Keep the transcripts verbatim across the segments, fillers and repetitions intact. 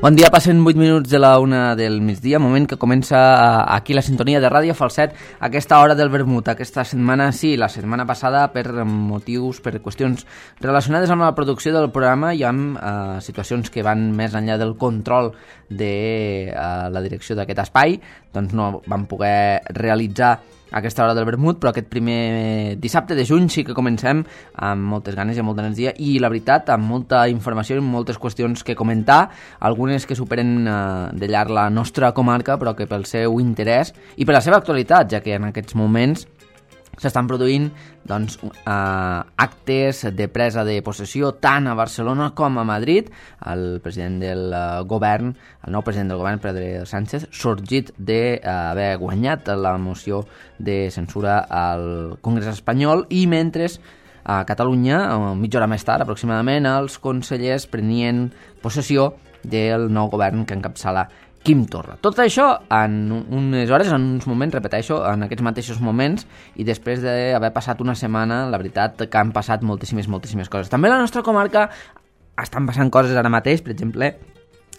Bon dia, passen vuit minuts de la una del migdia, moment que comença aquí la sintonia de Ràdio Falset, aquesta hora del vermut. Aquesta setmana, sí, la setmana passada, per motius, per qüestions relacionades amb la producció del programa i amb eh, situacions que van més enllà del control de eh, la direcció d'aquest espai, doncs no vam poder realitzar aquesta hora del vermut, però aquest primer dissabte de juny sí que comencem amb moltes ganes i amb molta energia i, la veritat, amb molta informació i moltes qüestions que comentar, algunes que superen eh, de llarg la nostra comarca, però que pel seu interès i per la seva actualitat, ja que en aquests moments s'estan produint doncs, eh, actes de presa de possessió tant a Barcelona com a Madrid. El president del eh, govern, el nou president del govern, Pedro Sánchez, sorgit d'haver eh, guanyat la moció de censura al Congrés espanyol, i mentre a Catalunya, mitja hora més tard aproximadament, els consellers prenien possessió del nou govern que encapçala Quim Torra. Tot això en unes hores, en uns moments, repeteixo, en aquests mateixos moments, i després d'haver passat una setmana, la veritat que han passat moltíssimes, moltíssimes coses. També a la nostra comarca estan passant coses ara mateix, per exemple,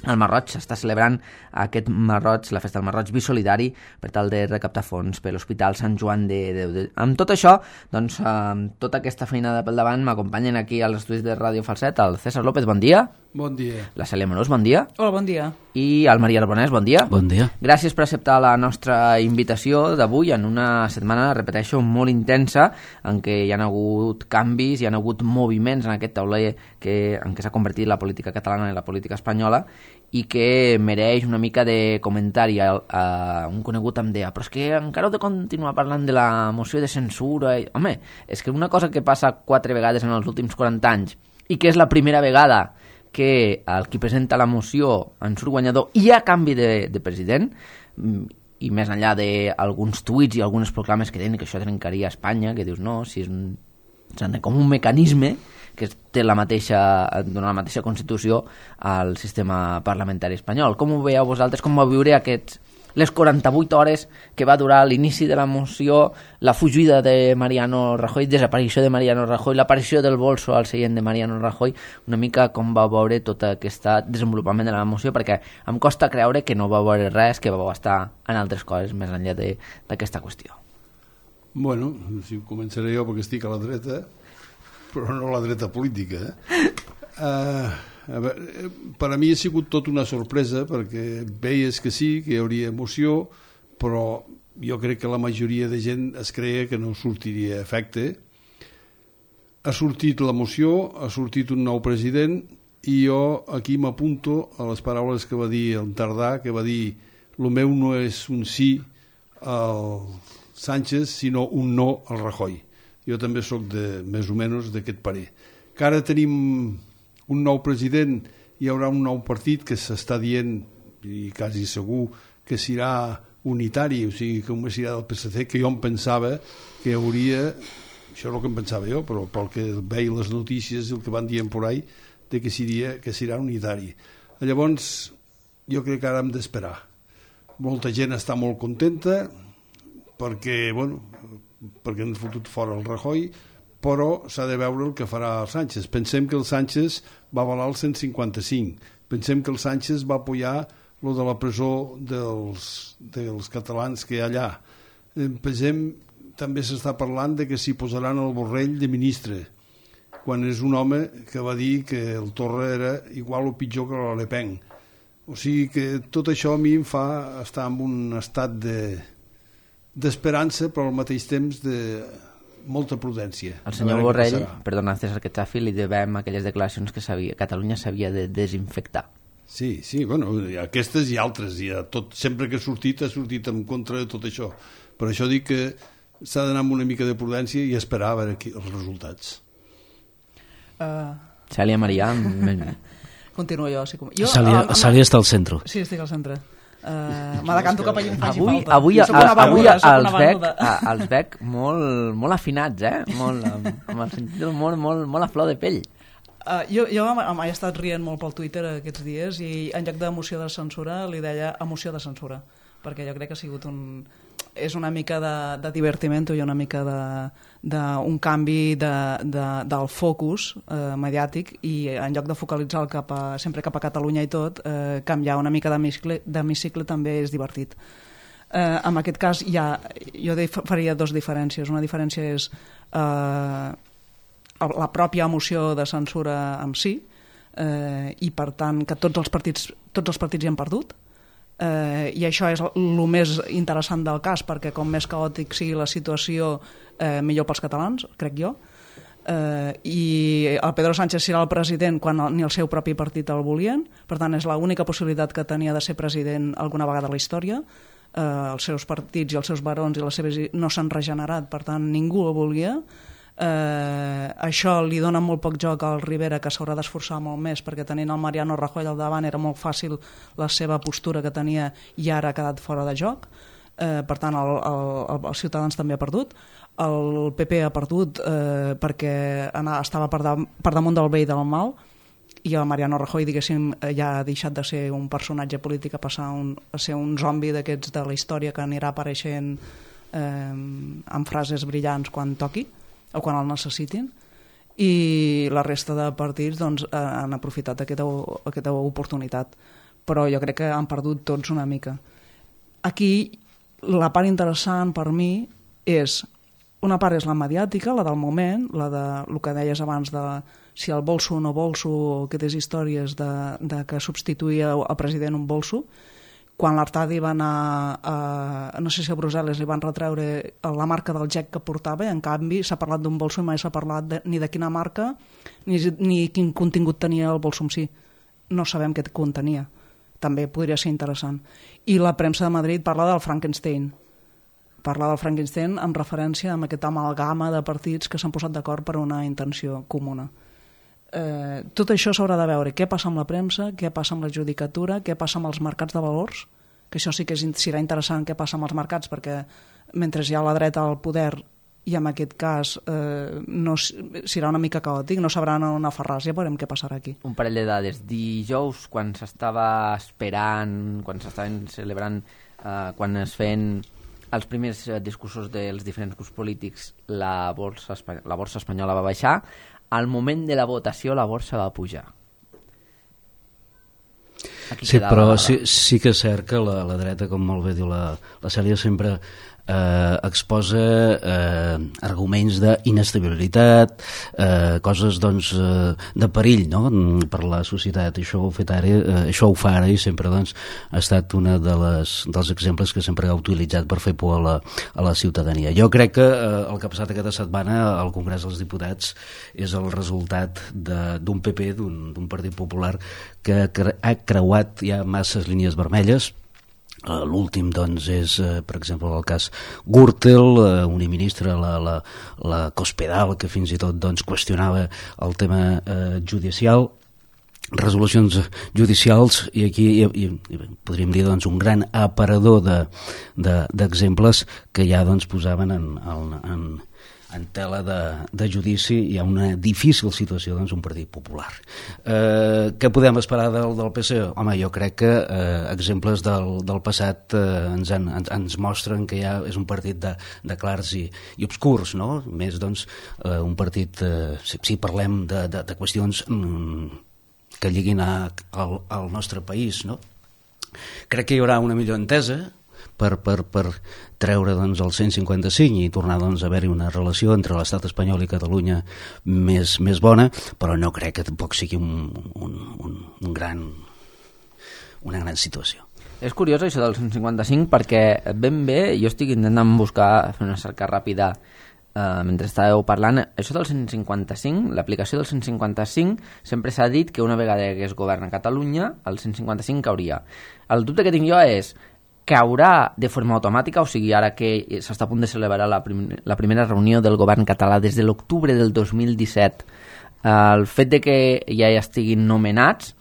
al Marroig s'està celebrant aquest Marroig, la festa del Marroig Bisolidari, per tal de recaptar fons per l'Hospital Sant Joan de Déu. Amb tot això, doncs, amb tota aquesta feinada pel davant, m'acompanyen aquí als estudis de Ràdio Falset el César López, bon dia. Bon dia. La Cèlia Morós, bon dia. Hola, bon dia. I el Maria Arbonès, bon dia. Bon dia. Gràcies per acceptar la nostra invitació d'avui en una setmana, repeteixo, molt intensa, en què hi ha hagut canvis, hi ha hagut moviments en aquest tauler que, en què s'ha convertit la política catalana i la política espanyola, i que mereix una mica de comentari. A, a un conegut em deia, però és que encara heu de continuar parlant de la moció de censura. I, home, és que una cosa que passa quatre vegades en els últims quaranta anys i que és la primera vegada que el qui presenta la moció en surt guanyador i a canvi de, de president, i més enllà d'alguns tuits i algunes proclames que tenen que això trencaria Espanya, que dius no, si és un, com un mecanisme que té la mateixa, dona la mateixa Constitució al sistema parlamentari espanyol. Com ho veieu vosaltres? Com va viure aquests, les quaranta-vuit hores que va durar l'inici de la moció, la fugida de Mariano Rajoy, desaparició de Mariano Rajoy, l'aparició del bolso al seient de Mariano Rajoy, una mica com va veure tot aquest desenvolupament de la moció, perquè em costa creure que no va veure res, que va estar en altres coses més enllà d'aquesta qüestió. Bueno, si començaré jo perquè estic a la dreta, però no a la dreta política. Eh? Uh, a veure, per a mi ha sigut tot una sorpresa, perquè veies que sí, que hi hauria emoció, però jo crec que la majoria de gent es creia que no sortiria efecte. Ha sortit la moció, ha sortit un nou president, i jo aquí m'apunto a les paraules que va dir el Tardà, que va dir el meu no és un sí al Sánchez, sinó un no al Rajoy. Jo també sóc de, més o menys d'aquest parer. Que ara tenim un nou president, hi haurà un nou partit que s'està dient, i quasi segur que serà unitari, o sigui, que només serà del P S C, que jo em pensava que hi hauria, això és el que em pensava jo, però pel que veia les notícies, el que van dient por ahí, de que seria, que serà unitari. Llavors, jo crec que ara hem d'esperar. Molta gent està molt contenta, perquè, bueno, perquè han fotut fora el Rajoy, però s'ha de veure el que farà el Sánchez. Pensem que el Sánchez va avalar el cent cinquanta-cinc, pensem que el Sánchez va apoyar lo de la presó dels, dels catalans que hi ha allà. Pensem, també s'està parlant de que s'hi posaran el Borrell de ministre, quan és un home que va dir que el Torra era igual o pitjor que la Le Pen. O sigui que tot això a mi em fa estar en un estat de d'esperança, però al mateix temps de molta prudència. El senyor Borrell, perdona, César, que xafi, li devem aquelles declaracions que sabia, Catalunya s'havia de desinfectar. Sí, sí, bueno, aquestes i altres, i tot, sempre que ha sortit, ha sortit en contra de tot això. Per això dic que s'ha d'anar amb una mica de prudència i esperar a veure aquí els resultats. Uh... Cèlia Marià... Continuo jo. Sí, com... jo Cèlia, uh, Cèlia està al centre. Sí, estic al centre. Uh, me decanto cap allà on faci avui, falta. Avui, a, venuda, avui els, veig, a, els veig molt, molt afinats, eh? Molt, amb, amb el sentit del molt, molt, molt a flor de pell. Uh, jo jo m'he estat rient molt pel Twitter aquests dies i en lloc d'emoció de censura li deia emoció de censura, perquè jo crec que ha sigut un... és una mica de, de divertimento i una mica d'un canvi de, de, del focus eh, mediàtic, i en lloc de focalitzar el cap a, sempre cap a Catalunya i tot, eh, canviar una mica d'hemicicle també és divertit. Eh, en aquest cas ja, jo faria dues diferències. Una diferència és eh, la pròpia emoció de censura en si, eh, i per tant que tots els partits, tots els partits hi han perdut. Eh, i això és el més interessant del cas, perquè com més caòtic sigui la situació, eh, millor pels catalans, crec jo. Eh, i el Pedro Sánchez serà el president quan ni el seu propi partit el volien, per tant és l'única possibilitat que tenia de ser president alguna vegada a la història. Eh, els seus partits i els seus barons i les seves no s'han regenerat, per tant ningú el volia. Eh, això li dona molt poc joc al Rivera, que s'haurà d'esforçar molt més, perquè tenint el Mariano Rajoy al davant era molt fàcil la seva postura que tenia, i ara ha quedat fora de joc. Eh, per tant el, el, els Ciutadans també ha perdut, el P P ha perdut eh, perquè anava, estava per, da, per damunt del bé i del mal, i el Mariano Rajoy, diguéssim, ja ha deixat de ser un personatge polític a passar un, a ser un zombi d'aquests de la història que anirà apareixent eh, amb frases brillants quan toqui o quan el necessitin, i la resta de partits doncs, han aprofitat aquesta, aquesta oportunitat, però jo crec que han perdut tots una mica. Aquí la part interessant per mi és, una part és la mediàtica, la del moment, la de el que deies abans de si el bolso o no bolso, aquestes històries de, de que substituïa el president un bolso. Quan l'Artadi va anar a, no sé si a Brussel·les, li van retreure la marca del gec que portava, en canvi s'ha parlat d'un bolso i mai s'ha parlat de, ni de quina marca ni, ni quin contingut tenia el bolso en si. No sabem què contenia. També podria ser interessant. I la premsa de Madrid parla del Frankenstein. Parla del Frankenstein amb referència a aquesta amalgama de partits que s'han posat d'acord per una intenció comuna. Eh, tot això s'haurà de veure què passa amb la premsa, què passa amb la judicatura, què passa amb els mercats de valors, que això sí que serà interessant què passa amb els mercats, perquè mentre hi ha la dreta al poder, i en aquest cas eh, no, serà una mica caòtic, no sabran on aferrar-se, ja veurem què passarà aquí. Un parell de dades. Dijous, quan s'estava esperant, quan s'estaven celebrant, eh, quan es feien els primers discursos dels diferents grups polítics, la borsa, la borsa espanyola va baixar. Al moment de la votació la borsa va pujar. Aquí sí, però sí, sí que és cert que la, la dreta, com molt bé diu la, la Cèlia, sempre eh, exposa eh, arguments d'inestabilitat, eh, coses doncs, eh, de perill, no?, per la societat. Això ho, fet ara, eh, això ho fa ara, i sempre doncs, ha estat un de les, dels exemples que sempre ha utilitzat per fer por a la, a la ciutadania. Jo crec que eh, el que ha passat aquesta setmana al Congrés dels Diputats és el resultat d'un P P, d'un Partit Popular, que ha creuat ja masses línies vermelles. Uh, l'últim doncs és, uh, per exemple, el cas Gürtel, uh, una ministra, la, la, la Cospedal, que fins i tot doncs, qüestionava el tema uh, judicial, resolucions judicials, i aquí i, i, i podríem dir doncs, un gran aparador d'exemples de, de, que ja doncs, posaven en, en, en en tela de, de judici. Hi ha una difícil situació doncs, un partit popular. Eh, què podem esperar del, del P S E? Home, jo crec que eh, exemples del, del passat eh, ens, han, ens, ens mostren que ja és un partit de, de clars i, i obscurs, no? Més doncs eh, un partit, eh, si, si parlem de, de, de qüestions mm, que lliguin a, al, al nostre país, no? Crec que hi haurà una millor entesa per, per, per treure doncs, el cent cinquanta-cinc i tornar doncs, a haver-hi una relació entre l'estat espanyol i Catalunya més, més bona, però no crec que tampoc sigui un, un, un, un gran, una gran situació. És curiós això del cent cinquanta-cinc, perquè ben bé, jo estic intentant buscar, fer una cerca ràpida eh, mentre estàveu parlant. Això del cent cinquanta-cinc, l'aplicació del cent cinquanta-cinc, sempre s'ha dit que una vegada que es governa Catalunya, el cent cinquanta-cinc cauria. El dubte que tinc jo és caurà de forma automàtica, o sigui, ara que s'està a punt de celebrar la, prim la primera reunió del govern català des de l'octubre del dos mil disset, el fet de que ja hi estiguin nomenats,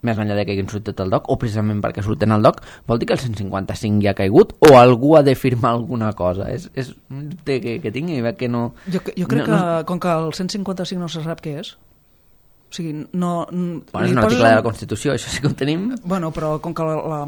més enllà de que hagin sortit al D O C, o precisament perquè surten al D O C, vol dir que el cent cinquanta-cinc ja ha caigut, o algú ha de firmar alguna cosa? És, és un dubte que, que tinc i veig que no... Jo, jo crec no, que, no... com que el cent cinquanta-cinc no se sap què és, O sigui, no... Bueno, és un article de la Constitució, això sí que ho tenim. Bueno, però com que la, la,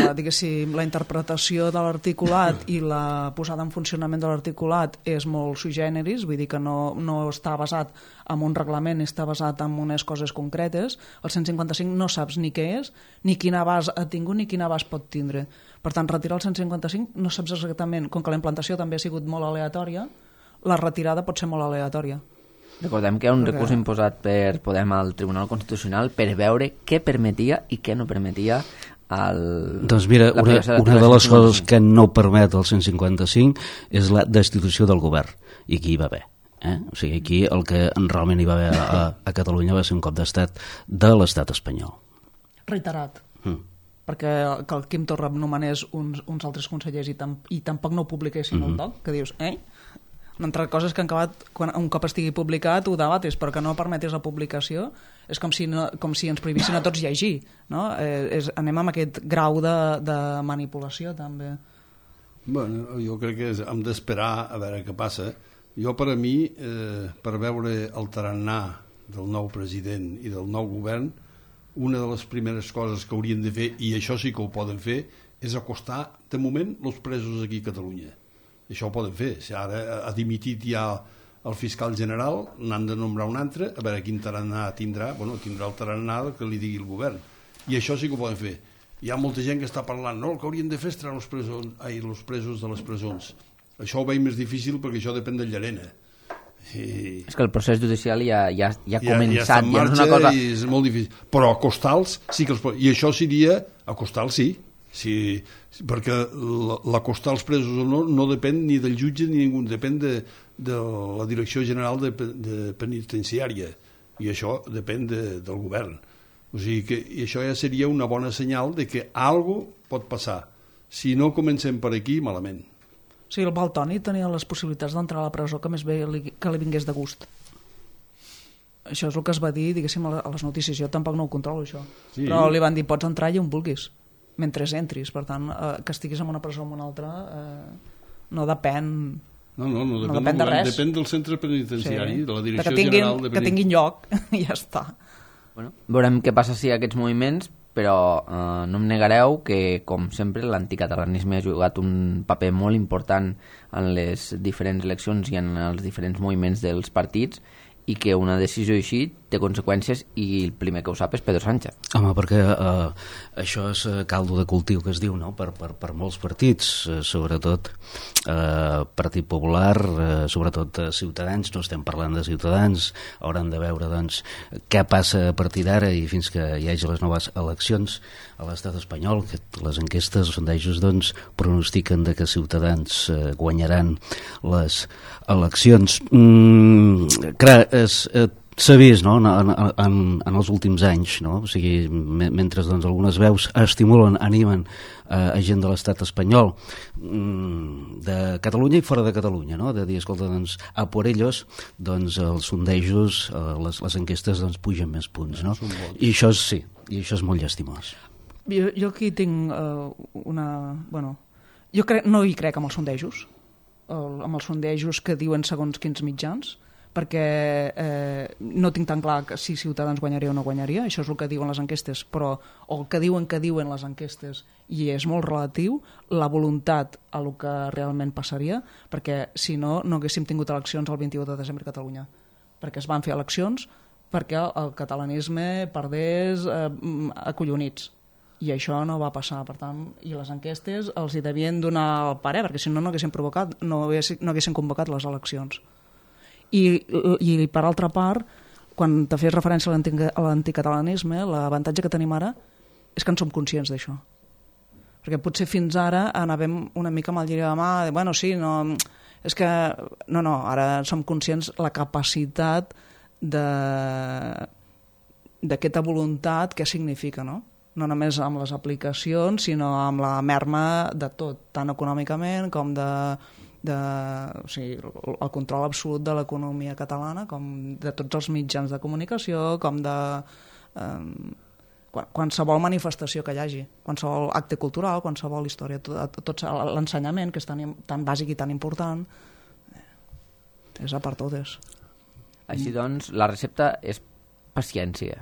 la, diguéssim, la interpretació de l'articulat i la posada en funcionament de l'articulat és molt sui generis, vull dir que no, no està basat en un reglament, està basat en unes coses concretes. El cent cinquanta-cinc no saps ni què és, ni quin abast ha tingut, ni quin abast pot tindre. Per tant, retirar el cent cinquanta-cinc no saps exactament, com que la implantació també ha sigut molt aleatòria, la retirada pot ser molt aleatòria. Recordem que hi ha un recurs imposat per Podem al Tribunal Constitucional per veure què permetia i què no permetia el... Doncs mira, una, una de les coses que no permet el cent cinquanta-cinc és la destitució del govern, i aquí hi va haver. Eh? O sigui, aquí el que realment hi va haver a, a Catalunya va ser un cop d'estat de l'estat espanyol. Reiterat. Mm. Perquè que el Quim Torra nomenés uns, uns altres consellers i, tam, i tampoc no ho publiquessin mm-hmm. al doc, que dius, eh? Una altra cosa és que han acabat, quan un cop estigui publicat, ho debates, però que no permetis la publicació és com si, no, com si ens prohibissin a tots llegir, no? Eh, és, anem amb aquest grau de, de manipulació, també. Bueno, jo crec que és, hem d'esperar a veure què passa. Jo, per a mi, eh, per veure el tarannà del nou president i del nou govern, una de les primeres coses que haurien de fer, i això sí que ho poden fer, és acostar, de moment, els presos aquí a Catalunya. Això ho poden fer. Si ara ha dimitit ja el fiscal general, n'han de nombrar un altre, a veure quin tarannà tindrà. Bueno, tindrà el tarannà que li digui el govern. I això sí que ho poden fer. Hi ha molta gent que està parlant, no, el que haurien de fer és treure els presos, ai, els presos de les presons. Això ho veig més difícil perquè això depèn de Llarena. I... És que el procés judicial ja, ja, ja ha ja, començat. Ja està en marxa, ja és una cosa... i és molt difícil. Però acostar-los sí que els pot... I això seria acostar-los, sí. Sí, perquè l'acostar els presos o no no depèn ni del jutge ni ningú, depèn de, de la Direcció General de, de Penitenciària, i això depèn de, del govern. O sigui que i això ja seria una bona senyal de que alguna cosa pot passar. Si no comencem per aquí, malament. Sí, el Baltoni tenia les possibilitats d'entrar a la presó que més bé li, que li vingués de gust. Això és el que es va dir, diguéssim, a les notícies. Jo tampoc no ho controlo, això. Sí. Però li van dir, pots entrar allà on vulguis, mentre entris. Per tant, eh, que estiguis en una presó o en una altra eh, no depèn... No, no, no, depèn, no depèn de del, res. Depèn del centre penitenciari, sí. De la Direcció que tinguin, General de que tinguin lloc, i ja està. Bueno, veurem què passa si aquests moviments, però eh, no em negareu que, com sempre, l'anticatalanisme ha jugat un paper molt important en les diferents eleccions i en els diferents moviments dels partits, i que una decisió així té conseqüències, i el primer que ho sap és Pedro Sánchez. Home, perquè eh, això és caldo de cultiu que es diu, no? per, per, per molts partits, eh, sobretot eh, Partit Popular, eh, sobretot eh, Ciutadans. No estem parlant de Ciutadans, hauran de veure doncs, què passa a partir d'ara i fins que hi hagi les noves eleccions a l'estat espanyol, que les enquestes, els sondejos doncs, pronostiquen de que Ciutadans eh, guanyaran les eleccions. Mm, clar, és... Eh, s'ha vist, no?, en, en, en els últims anys, no? O sigui, me, mentre doncs, algunes veus estimulen, animen eh, a gent de l'estat espanyol, mm, de Catalunya i fora de Catalunya, no?, de dir, escolta, doncs, a por ellos, doncs els sondejos, eh, les, les enquestes, doncs, pugen més punts, no? I això és, sí, i això és molt llastimós. Jo, jo aquí tinc uh, una... Bueno, jo crec, no hi crec amb els sondejos, el, amb els sondejos que diuen segons quins mitjans, perquè eh, no tinc tan clar que si Ciutadans guanyaria o no guanyaria, això és el que diuen les enquestes, però o el que diuen que diuen les enquestes, i és molt relatiu, la voluntat a el que realment passaria, perquè si no, no haguéssim tingut eleccions el vint-i-u de desembre a Catalunya, perquè es van fer eleccions perquè el catalanisme perdés eh, acollonits, i això no va passar. Per tant, i les enquestes els hi devien donar el parer, perquè si no, no haguessin provocat, no haguessin, no haguessin convocat les eleccions. I, i per altra part, quan te fes referència a l'anticatalanisme, l'avantatge que tenim ara és que en som conscients d'això. Perquè potser fins ara anàvem una mica amb el lliri de mà, de, bueno, sí, no, és que... No, no, ara som conscients la capacitat de d'aquesta voluntat que significa, no? No només amb les aplicacions, sinó amb la merma de tot, tant econòmicament com de... De, o sigui, el control absolut de l'economia catalana, com de tots els mitjans de comunicació, com de eh, qualsevol manifestació que hi hagi, qualsevol acte cultural, qualsevol història, tot, tot l'ensenyament, que és tan, tan bàsic i tan important, és a per totes. Així doncs, la recepta és paciència.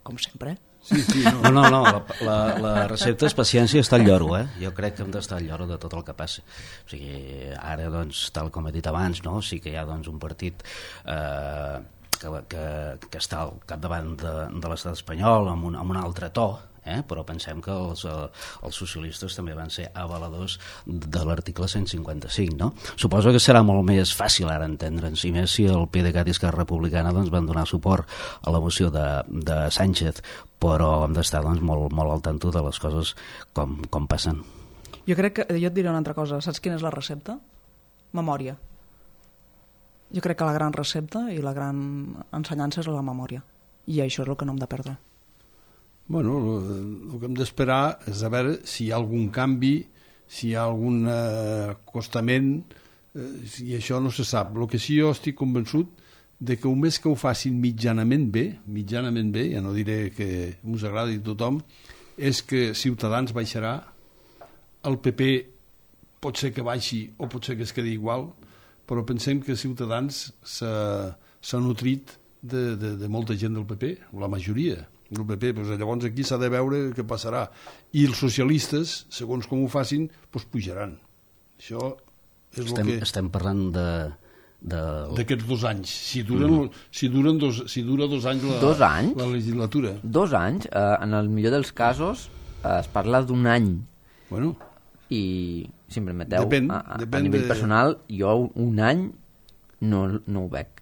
Com sempre. Sí, sí, no. No, no, no, la, la, la recepta és paciència i estar al lloro, eh? Jo crec que hem d'estar al lloro de tot el que passa. O sigui, ara, doncs, tal com he dit abans, no? Sí que hi ha, doncs, un partit eh, que, que, que està al capdavant de, de l'estat espanyol amb un, amb un altre to, eh? Però pensem que els, els socialistes també van ser avaladors de l'article cent cinquanta-cinc, no? Suposo que serà molt més fàcil ara entendre'ns, i més si el PDeCAT i Esquerra Republicana, doncs, van donar suport a la moció de, de Sánchez, però hem d'estar, doncs, molt, molt al tanto de les coses com, com passen. Jo crec que, jo et diré una altra cosa, saps quina és la recepta? Memòria. Jo crec que la gran recepta i la gran ensenyança és la memòria, i això és el que no hem de perdre. Bueno, el que hem d'esperar és a veure si hi ha algun canvi, si hi ha algun eh, acostament, eh, i això no se sap. El que sí jo estic convençut de que un mes que ho facin mitjanament bé, mitjanament bé, ja no diré que us agradi a tothom, és que Ciutadans baixarà, el P P pot ser que baixi o pot ser que es quedi igual, però pensem que Ciutadans s'ha nutrit de, de, de molta gent del P P, la majoria del P P, doncs llavors aquí s'ha de veure què passarà, i els socialistes, segons com ho facin, doncs pujaran. Això és estem, el que... Estem parlant de... d'aquests dos anys, si duren, mm. si duren dos, si dura dos anys la, dos anys? la legislatura. Dos anys, eh, en el millor dels casos, eh, es parla d'un any. Bueno, i si em permeteu, depèn, a, a, depèn a nivell de... personal, jo un any no, no ho veig.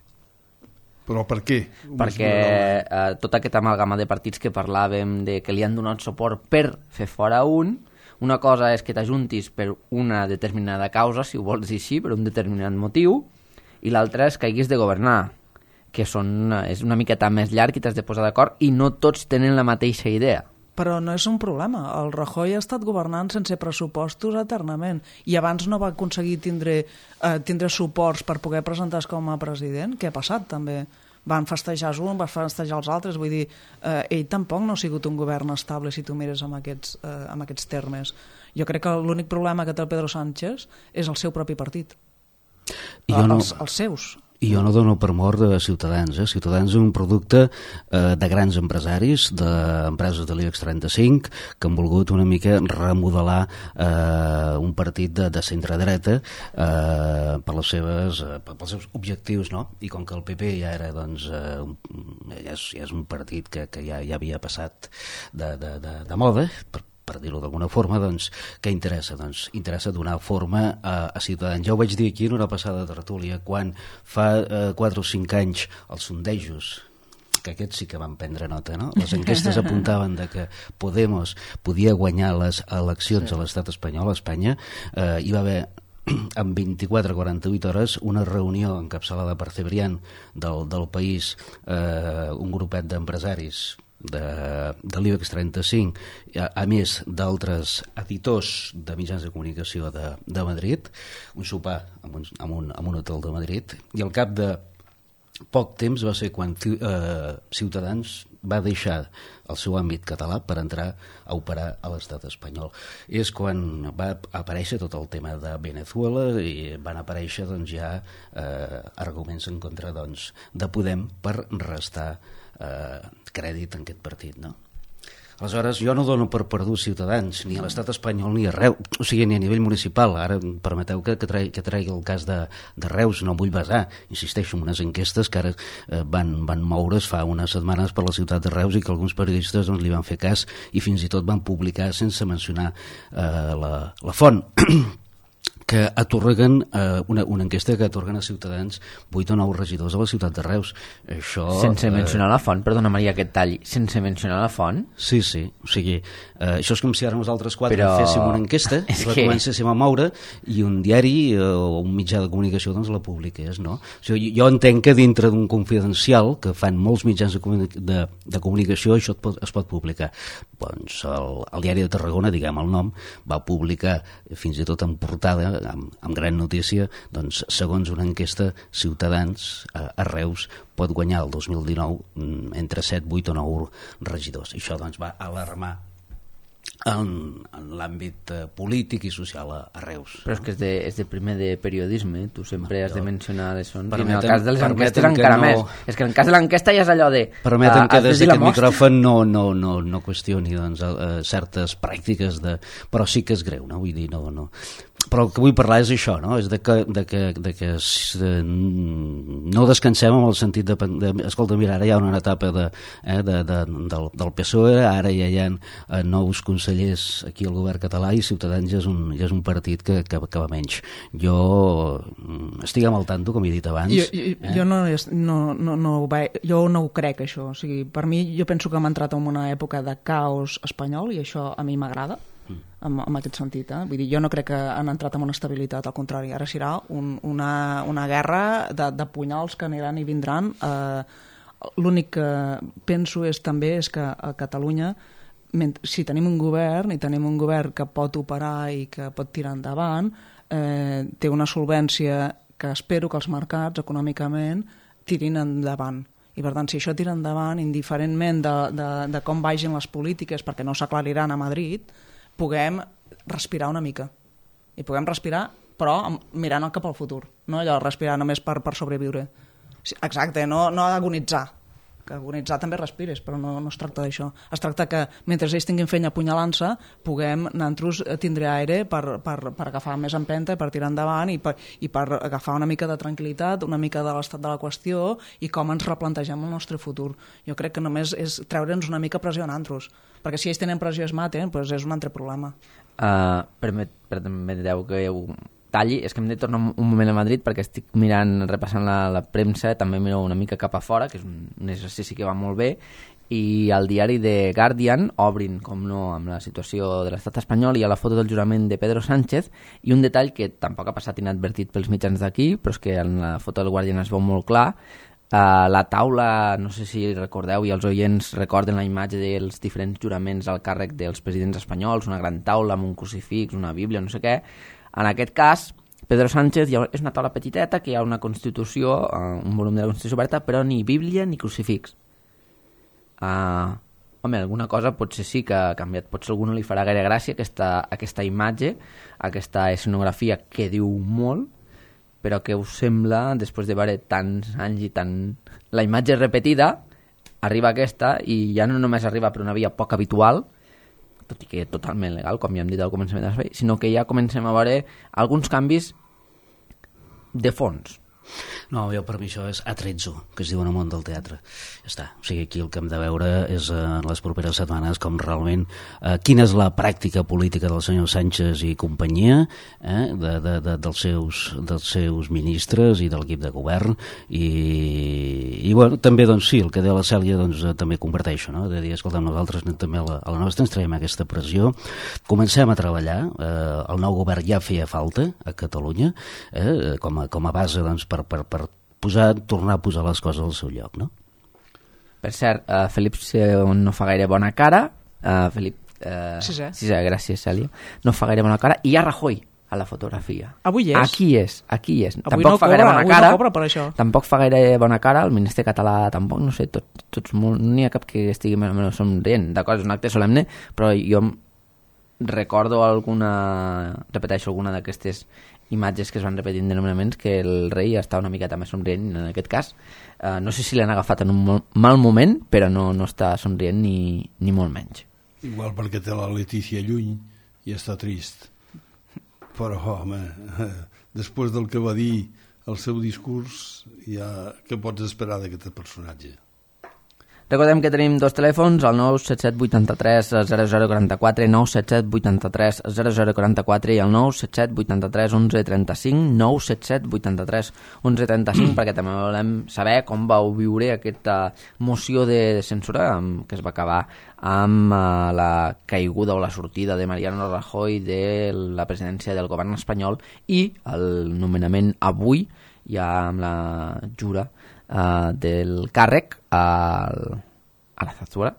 Però per què? Perquè eh, tota aquesta amalgama de partits que parlàvem de que li han donat suport per fer fora un, una cosa és que t'ajuntis per una determinada causa, si ho vols dir així, per un determinat motiu, i l'altra és que haguis de governar, que són, és una miqueta més llarg i t'has de posar d'acord, i no tots tenen la mateixa idea. Però no és un problema. El Rajoy ha estat governant sense pressupostos eternament i abans no va aconseguir tindre, eh, tindre suports per poder presentar-se com a president. Què ha passat, també? Van festejar un, van festejar els altres. Vull dir, eh, ell tampoc no ha sigut un govern estable si tu mires amb aquests, eh, amb aquests termes. Jo crec que l'únic problema que té el Pedro Sánchez és el seu propi partit. I jo no... els, els seus. I jo no dono per mort de Ciutadans. Eh? Ciutadans és un producte eh, de grans empresaris, d'empreses de l'IBEX trenta-cinc, que han volgut una mica remodelar eh, un partit de, de centre-dreta eh, per les seves, eh, pels seus objectius, no? I com que el P P ja era, doncs, eh, un, ja, és, ja és un partit que, que ja, ja havia passat de, de, de, de moda, per per dir-ho d'alguna forma, doncs, què interessa? Doncs interessa donar forma a, a Ciutadans. Ja ho vaig dir aquí en una passada tertúlia, quan fa eh, quatre o cinc anys els sondejos, que aquests sí que van prendre nota, no? Les enquestes apuntaven de que Podemos podia guanyar les eleccions sí. a l'estat espanyol, a Espanya, eh, hi va haver en vint-i-quatre a quaranta-vuit hores una reunió encapçalada per Cebrián del, del País, eh, un grupet d'empresaris de, de l'IBEX trenta-cinc, a, a més d'altres editors de mitjans de comunicació de, de Madrid, un sopar en un, en, un, en un hotel de Madrid, i al cap de poc temps va ser quan eh, Ciutadans va deixar el seu àmbit català per entrar a operar a l'estat espanyol. És quan va aparèixer tot el tema de Venezuela i van aparèixer, doncs, ja eh, arguments en contra, doncs, de Podem per restar eh, crèdit en aquest partit, no? Aleshores, jo no dono per perdut Ciutadans, ni a l'estat espanyol ni a Reus, o sigui, ni a nivell municipal. Ara permeteu que, que, tregui, que tregui el cas de, de Reus, no vull basar, insisteixo, en unes enquestes que ara eh, van, van moure's fa unes setmanes per la ciutat de Reus i que alguns periodistes, doncs, li van fer cas i fins i tot van publicar sense mencionar eh, la, la font que atorguen eh, una, una enquesta que atorguen a Ciutadans vuit o nou regidors a la ciutat de Reus. Això, sense eh, mencionar la font, perdona Maria, aquest tall, sense mencionar la font? Sí, sí, o sigui, eh, això és com si ara nosaltres quatre Però... féssim una enquesta, la que... comencéssim a moure i un diari eh, o un mitjà de comunicació doncs la publiqués, no? O sigui, jo entenc que dintre d'un confidencial que fan molts mitjans de, comuni de, de comunicació això es pot, es pot publicar. Doncs el, el diari de Tarragona, diguem el nom, va publicar fins i tot en portada amb, amb gran notícia, doncs, segons una enquesta, Ciutadans a, a Reus pot guanyar el dos mil dinou entre set, vuit o nou regidors. I això, doncs, va alarmar en, en l'àmbit eh, polític i social a, a Reus. Però és que és de, és de primer de periodisme, tu sempre has de mencionar les fonts, i en el Permetem- cas de les enquestes permetem que encara no- més. És que en el cas de l'enquesta ja és allò de... Permetem ah, que has de des dir la d'aquest mostra. micròfon no, no, no, no qüestioni doncs, eh, certes pràctiques, de... però sí que és greu, no? Vull dir, no, no. Però el que vull parlar és això, no? És de que, de que, de que eh, no descansem en el sentit de, de... Escolta, mira, ara hi ha una etapa de, eh, de, de, del, del P S O E, ara ja hi ha eh, nous consellers aquí al govern català i Ciutadans ja és un, ja és un partit que, que, que va menys. Jo mm, estic amb el tanto, com he dit abans. Jo, jo, eh? jo, no, no, no, no, ho ve- jo no ho crec, això. O sigui, per mi, jo penso que hem entrat en una època de caos espanyol i això a mi m'agrada. En, en aquest sentit, eh? Vull dir, jo no crec que han entrat en una estabilitat, al contrari, ara serà un, una, una guerra de, de punyals que aniran i vindran. Eh, l'únic que penso és també és que a Catalunya, si tenim un govern i tenim un govern que pot operar i que pot tirar endavant, eh, té una solvència que espero que els mercats econòmicament tirin endavant. I per tant, si això tira endavant, indiferentment de, de, de com vagin les polítiques, perquè no s'aclariran a Madrid, puguem respirar una mica. I puguem respirar, però mirant cap al futur. No allò respirar només per, per sobreviure. Exacte, no, no agonitzar. Que agonitzar també respires, però no, no es tracta d'això. Es tracta que mentre ells tinguin feina apunyalant-se, puguem nosaltres tindre aire per, per, per agafar més empenta, per tirar endavant i per, i per agafar una mica de tranquil·litat, una mica de l'estat de la qüestió i com ens replantegem el nostre futur. Jo crec que només és treure'ns una mica pressió a nosaltres, perquè si ells tenen pressió i es maten, doncs és un altre problema. Uh, permet, permeteu que ho talli, és que hem de tornar un moment a Madrid perquè estic mirant, repassant la, la premsa, també miro una mica cap a fora, que és un, un exercici que va molt bé, i al diari The Guardian obrin, com no, amb la situació de l'estat espanyol i a la foto del jurament de Pedro Sánchez, i un detall que tampoc ha passat inadvertit pels mitjans d'aquí, però és que en la foto del Guardian es veu molt clar. Uh, la taula, no sé si recordeu i els oients recorden la imatge dels diferents juraments al càrrec dels presidents espanyols, una gran taula amb un crucifix, una bíblia, no sé què. En aquest cas, Pedro Sánchez ha, és una taula petiteta que hi ha una Constitució, uh, un volum de la Constitució oberta, però ni bíblia ni crucifix. Uh, home, alguna cosa potser sí que ha canviat, potser a algú no li farà gaire gràcia aquesta, aquesta imatge, aquesta escenografia que diu molt, però què us sembla, després de veure tants anys i tant... La imatge repetida, arriba aquesta, i ja no només arriba per una via poc habitual, tot i que totalment legal, com ja hem dit al començament de l'espai, sinó que ja comencem a veure alguns canvis de fons. No, jo per mi això és atrezzo, que es diu en el món del teatre. Ja està. O sigui, aquí el que hem de veure és eh, en les properes setmanes com realment eh, quina és la pràctica política del senyor Sánchez i companyia, eh, de, de, de, dels, seus, dels seus ministres i de l'equip de govern i, i bueno, també doncs sí, el que deia la Cèlia doncs eh, també comparteixo, no? De dir, escolta, nosaltres també a la, a la nostra ens traiem aquesta pressió, comencem a treballar, eh, el nou govern ja feia falta a Catalunya, eh, com, a, com a base doncs per per, per posar, tornar a posar les coses al seu lloc, no? Per cert, uh, Felip no fa gaire bona cara, uh, Felip... Uh, Sisè. Sisè, gràcies, Cèlia. No fa gaire bona cara, i hi ha Rajoy a la fotografia. Avui és. Aquí és, aquí és. Avui tampoc no fa cobra, gaire bona avui cara, no cobra per això. Tampoc fa gaire bona cara, el ministre català tampoc, no sé, tot, tots molt, no n'hi ha cap que estigui més o menys somrient, d'acord, és un acte solemne, però jo recordo alguna, repeteixo alguna d'aquestes imatges que es van repetint de nomenaments que el rei està una miqueta més somrient en aquest cas. Uh, no sé si l'han agafat en un mal moment, però no, no està somrient ni, ni molt menys. Igual perquè té la Letícia lluny i està trist. Però, home, després del que va dir el seu discurs, ja què pots esperar d'aquest personatge? Recordem que tenim dos telèfons, el nou set set vuit tres zero zero quatre quatre, nou set set vuit tres zero zero quatre quatre i el nou set set vuit tres onze trenta cinc, nou set set vuit tres onze trenta cinc, perquè també volem saber com vau viure aquesta moció de censura que es va acabar amb uh, la caiguda o la sortida de Mariano Rajoy de la presidència del govern espanyol i el nomenament avui, ja amb la jura Uh, del càrrec al, a la Zarzuela,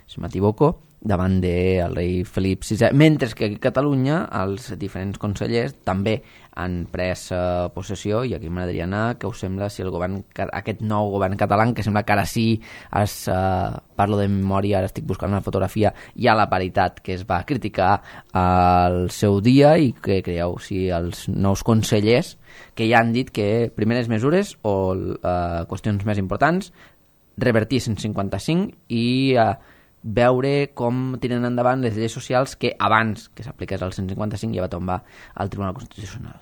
si m'equivoco, davant del rei Felip sisè, mentre que aquí a Catalunya els diferents consellers també han pres uh, possessió, i aquí m'agradaria anar, què us sembla si el govern, aquest nou govern català, que sembla que ara sí, es, uh, parlo de memòria, ara estic buscant una fotografia, hi ha la paritat que es va criticar al seu dia, i què creieu si els nous consellers que ja han dit que primeres mesures o uh, qüestions més importants, revertir cent cinquanta-cinc i uh, veure com tiren endavant les lleis socials que abans que s'apliqués el cent cinquanta-cinc ja va tombar al Tribunal Constitucional.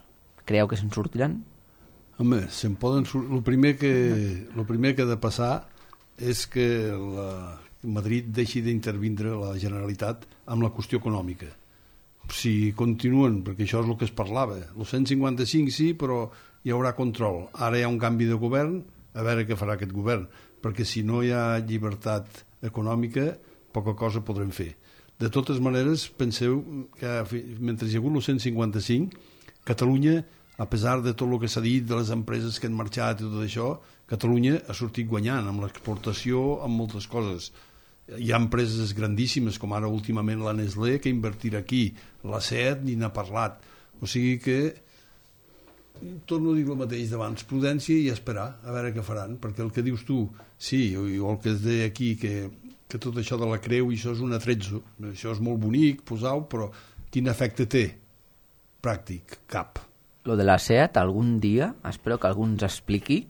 Creieu que se'n sortiran? Home, se'n poden sortir. El primer que, el primer que ha de passar és que la Madrid deixi d'intervindre la Generalitat amb la qüestió econòmica. Si continuen, perquè això és el que es parlava, el cent cinquanta-cinc sí, però hi haurà control. Ara hi ha un canvi de govern, a veure què farà aquest govern, perquè si no hi ha llibertat econòmica, poca cosa podrem fer. De totes maneres, penseu que mentre hi ha hagut el cent cinquanta-cinc, Catalunya, a pesar de tot el que s'ha dit, de les empreses que han marxat i tot això, Catalunya ha sortit guanyant amb l'exportació, amb moltes coses. Hi ha empreses grandíssimes, com ara últimament la Nestlé, que invertirà aquí. La SEAT ni n'ha parlat. O sigui que, torno a dir el mateix d'abans, prudència i esperar, a veure què faran, perquè el que dius tu, sí, o el que es deia aquí, que, que tot això de la creu, i això és un atrezzo, això és molt bonic, posau, però quin efecte té? Pràctic, cap. Lo de la SEAT, algun dia, espero que algú ens expliqui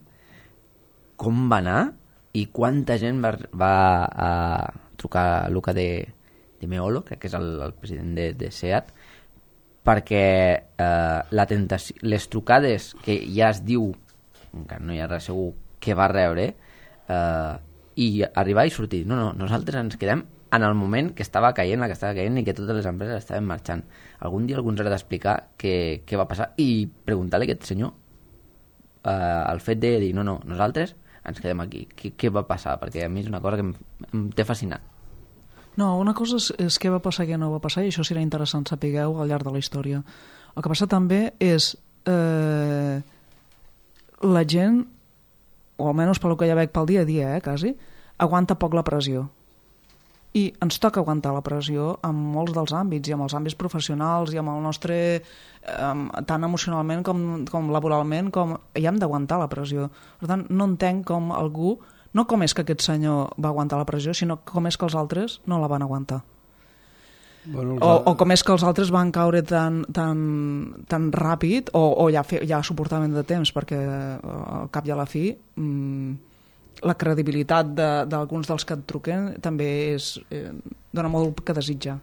com va anar i quanta gent va, va a trucar a Luca de, de Meolo, crec que és el, el president de, de SEAT, perquè eh, la tentació, les trucades que ja es diu, encara no hi ha res segur, que va rebre, eh, i arribar i sortir. No, no, nosaltres ens quedem en el moment que estava caient, la que estava caient i que totes les empreses estaven marxant. Algun dia algú ens haurà d'explicar què, què va passar i preguntar-li a aquest senyor eh, el fet de dir, no, no, nosaltres ens quedem aquí. Què, què va passar? Perquè a mi és una cosa que em, em té fascinat. No, una cosa és, és què va passar i què no va passar, i això serà interessant sapigueu al llarg de la història. El que passa també és eh, la gent, o almenys pel que ja veig pel dia a dia, eh, quasi, aguanta poc la pressió. I ens toca aguantar la pressió en molts dels àmbits, i en els àmbits professionals, i amb el nostre, eh, tant emocionalment com, com laboralment, com hi hem d'aguantar la pressió. Per tant, no entenc com algú, no com és que aquest senyor va aguantar la pressió, sinó com és que els altres no la van aguantar. Bueno, o, o com és que els altres van caure tan, tan, tan ràpid, o, o ja, fe, ja suportaven de temps, perquè al cap i a la fi mmm, la credibilitat d'alguns de, dels que et truquen també és, eh, dona molt que desitjar.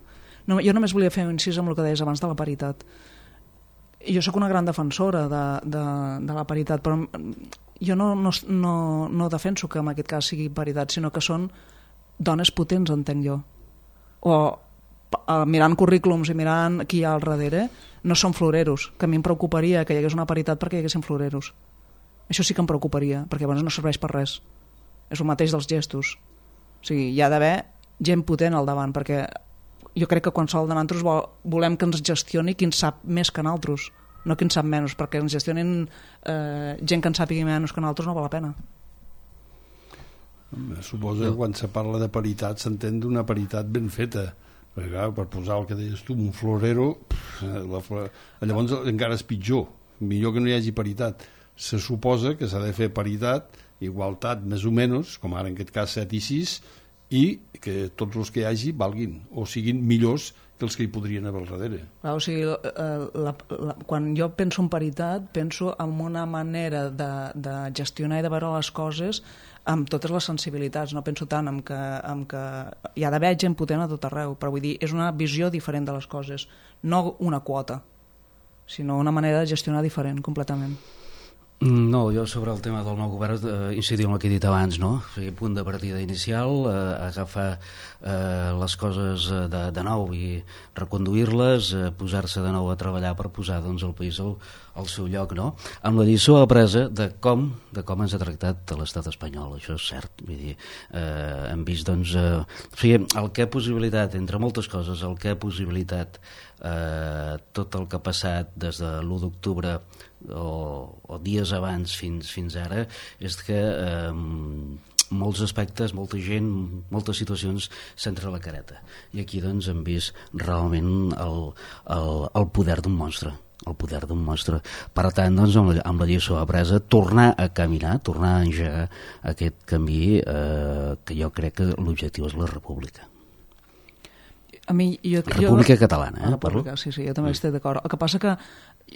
No, jo només volia fer un incís amb el que deies abans de la paritat. Jo sóc una gran defensora de, de, de la paritat, però jo no, no, no, no defenso que en aquest cas sigui paritat, sinó que són dones potents, entenc jo. O eh, mirant currículums i mirant qui hi ha al darrere, no són floreros, que a mi em preocuparia que hi hagués una paritat perquè hi haguessin floreros. Això sí que em preocuparia, perquè llavors no serveix per res. És el mateix dels gestos. O sigui, hi ha d'haver gent potent al davant, perquè jo crec que qualsevol de nosaltres vol, volem que ens gestioni qui en sap més que nosaltres, no qui en sap menys, perquè ens gestionin eh, gent que en sàpigui menys que nosaltres no val la pena. Suposo que quan se parla de paritat s'entén d'una paritat ben feta, perquè clar, per posar el que deies tu, un florero, pff, la, llavors encara és pitjor, millor que no hi hagi paritat. Se suposa que s'ha de fer paritat, igualtat més o menys, com ara en aquest cas set i sis, i que tots els que hi hagi valguin o siguin millors que els que hi podrien haver al darrere. Clar, o sigui, la, la, quan jo penso en paritat, penso en una manera de, de gestionar i de veure les coses amb totes les sensibilitats, no penso tant en que, en que hi ha d'haver gent potent a tot arreu, però vull dir, és una visió diferent de les coses, no una quota, sinó una manera de gestionar diferent, completament. No, jo sobre el tema del nou govern eh, incidir en el que he dit abans, no? O sigui, punt de partida inicial, eh, agafar eh, les coses de, de nou i reconduir-les, eh, posar-se de nou a treballar per posar doncs, el país al, al seu lloc, no? Amb la lliçó apresa de com, de com ens ha tractat l'estat espanyol, això és cert. Vull dir, eh, hem vist, doncs, eh, o sigui, el que ha possibilitat, entre moltes coses, el que ha possibilitat eh, tot el que ha passat des de l'u d'octubre o, o dies abans fins, fins ara és que eh, molts aspectes, molta gent, moltes situacions s'entra la careta. I aquí doncs hem vist realment el, el, el poder d'un monstre el poder d'un monstre. Per tant, doncs, amb la, amb la lliçó apresa, tornar a caminar, tornar a engegar aquest camí eh, que jo crec que l'objectiu és la república. A mi, jo, República jo, Catalana, eh? La República, sí, sí, jo també estic d'acord. El que passa que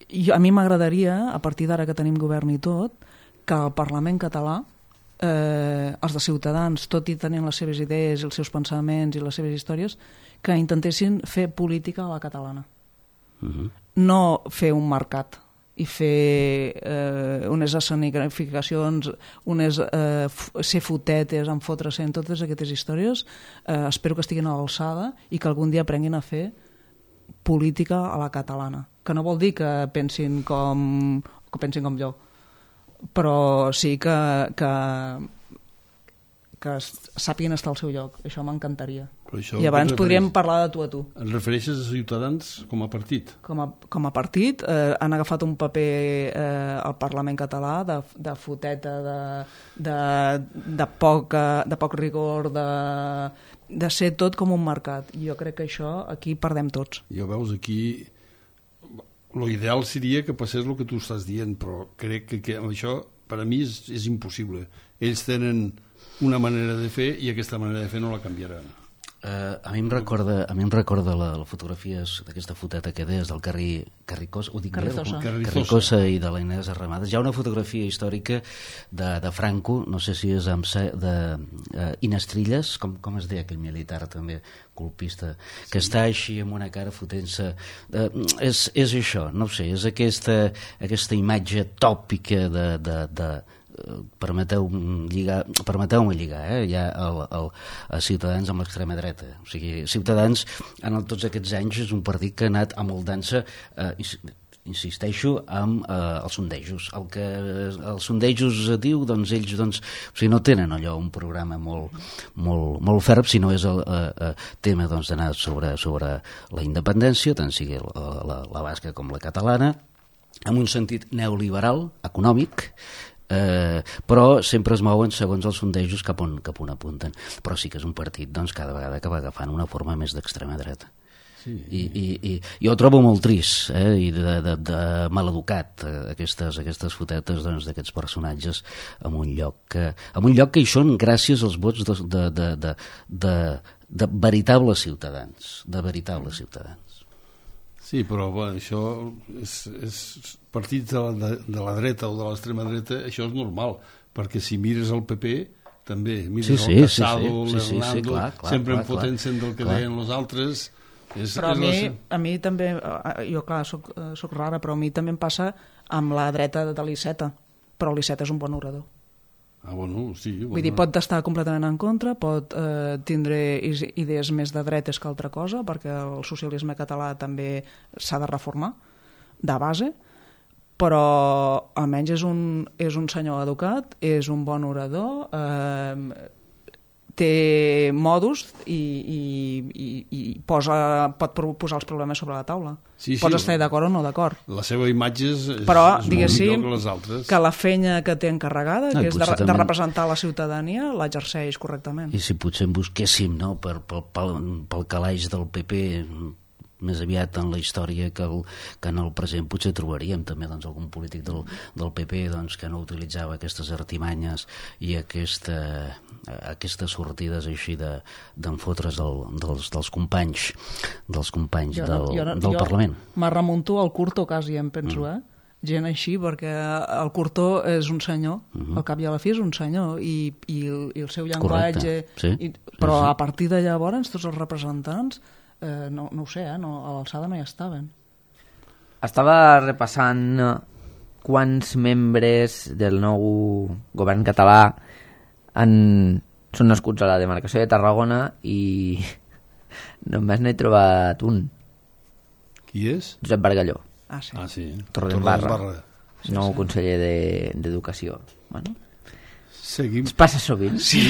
jo, a mi m'agradaria, a partir d'ara que tenim govern i tot, que el Parlament català, eh, els de Ciutadans, tot i tenint les seves idees, els seus pensaments i les seves històries, que intentessin fer política a la catalana. Uh-huh. No fer un mercat i fer eh, unes escenificacions, unes, eh, ser fotetes, en fotre-se en totes aquestes històries. Eh, espero que estiguin a l'alçada i que algun dia aprenguin a fer política a la catalana. Que no vol dir que pensin com, que pensin com jo, però sí que, que, que sàpiguen estar al seu lloc. Això m'encantaria. I abans podríem parlar de tu a tu. Et refereixes a Ciutadans com a partit? Com a, com a partit eh, han agafat un paper eh, al Parlament català de, de foteta, de, de, de, poc, de poc rigor, de, de ser tot com un mercat. I jo crec que això aquí perdem tots. Jo veus aquí... Lo ideal seria que passés el que tu estàs dient, però crec que, que això per a mi és, és impossible. Ells tenen una manera de fer i aquesta manera de fer no la canviaran. Uh, a mi em recorda, a mi em recorda la, la fotografia d'aquesta foteta que deies del Carri, Carricosa, ho dic Carrizosa. Bé, Carrizosa i de la Inés Arramades. Hi ha una fotografia històrica de, de Franco, no sé si és amb de uh, Inestrilles, com, com es deia aquell militar també colpista, que sí. Està així amb una cara fotent-se. Uh, és, és això, no ho sé, és aquesta, aquesta imatge tòpica de... de, de permeteu-me lligar, permeteu-me lligar eh? ja el, el, a Ciutadans amb l'extrema dreta. O sigui, Ciutadans en el, tots aquests anys és un partit que ha anat amoldant-se eh, insisteixo amb eh, els sondejos. El que els sondejos diu, doncs ells doncs, o sigui, no tenen allò un programa molt, molt, molt ferm, sinó és el eh, eh, tema doncs, d'anar sobre, sobre la independència, tant sigui la, la, la basca com la catalana, amb un sentit neoliberal, econòmic, Eh, però sempre es mouen segons els sondejos cap on, cap on apunten. Però sí que és un partit doncs, cada vegada que va agafant una forma més d'extrema dreta. Sí. I, i, i jo ho trobo molt trist eh? I de, de, de maleducat eh? aquestes, aquestes fotetes doncs, d'aquests personatges en un lloc que, en un lloc que hi són gràcies als vots de, de, de, de, de, de veritables ciutadans, de veritables ciutadans. Sí, però bueno, això és, és partits de la, de, de la dreta o de l'extrema dreta, això és normal, perquè si mires el P P també, mires sí, sí, el Casado, sí, sí. l'Hernando, sí, sí, sí, clar, clar, sempre clar, enfotent-se del que clar. Deien els altres. És, però és a, mi, la... a mi també, jo clar, soc, soc rara, però a mi també em passa amb la dreta de l'Iceta, però l'Iceta és un bon orador. Ah, bueno, sí, bueno. Vull dir, pot estar completament en contra, pot eh, tindre idees més de dretes que altra cosa, perquè el socialisme català també s'ha de reformar, de base, però almenys és un, és un senyor educat, és un bon orador, eh, té modus i, i, i, i posa, pot posar els problemes sobre la taula. Sí, sí, pots estar d'acord o no d'acord. La seva imatge és, és, però, és molt millor que les altres. Que la feina que té encarregada, no, que és de, també... de representar la ciutadania, l'exerceix correctament. I si potser en busquéssim no, per, pel, pel, pel calaix del P P més aviat en la història que, el, que en el present potser trobaríem també doncs, algun polític del, del P P doncs, que no utilitzava aquestes artimanyes i aquesta, aquestes sortides així d'enfotre's de, dels, dels companys dels companys jo no, del, jo no, del jo Parlament. Me remunto al Curto quasi, em penso, mm. eh? Gent així, perquè el Curto és un senyor, mm-hmm. al cap i a la fi és un senyor, i, i, el, i el seu llenguatge... Sí. I, però sí, sí. A partir de llavors, tots els representants, eh, no, no ho sé, eh, no, a l'alçada no hi estaven. Estava repassant quants membres del nou govern català han, són nascuts a la demarcació de Tarragona i només n'he trobat un. Qui és? Josep Bargalló. Ah, sí. Ah, sí. Torredembarra, sí, nou sí. conseller d'Educació. De, bueno, seguim... Es passa sovint. Sí.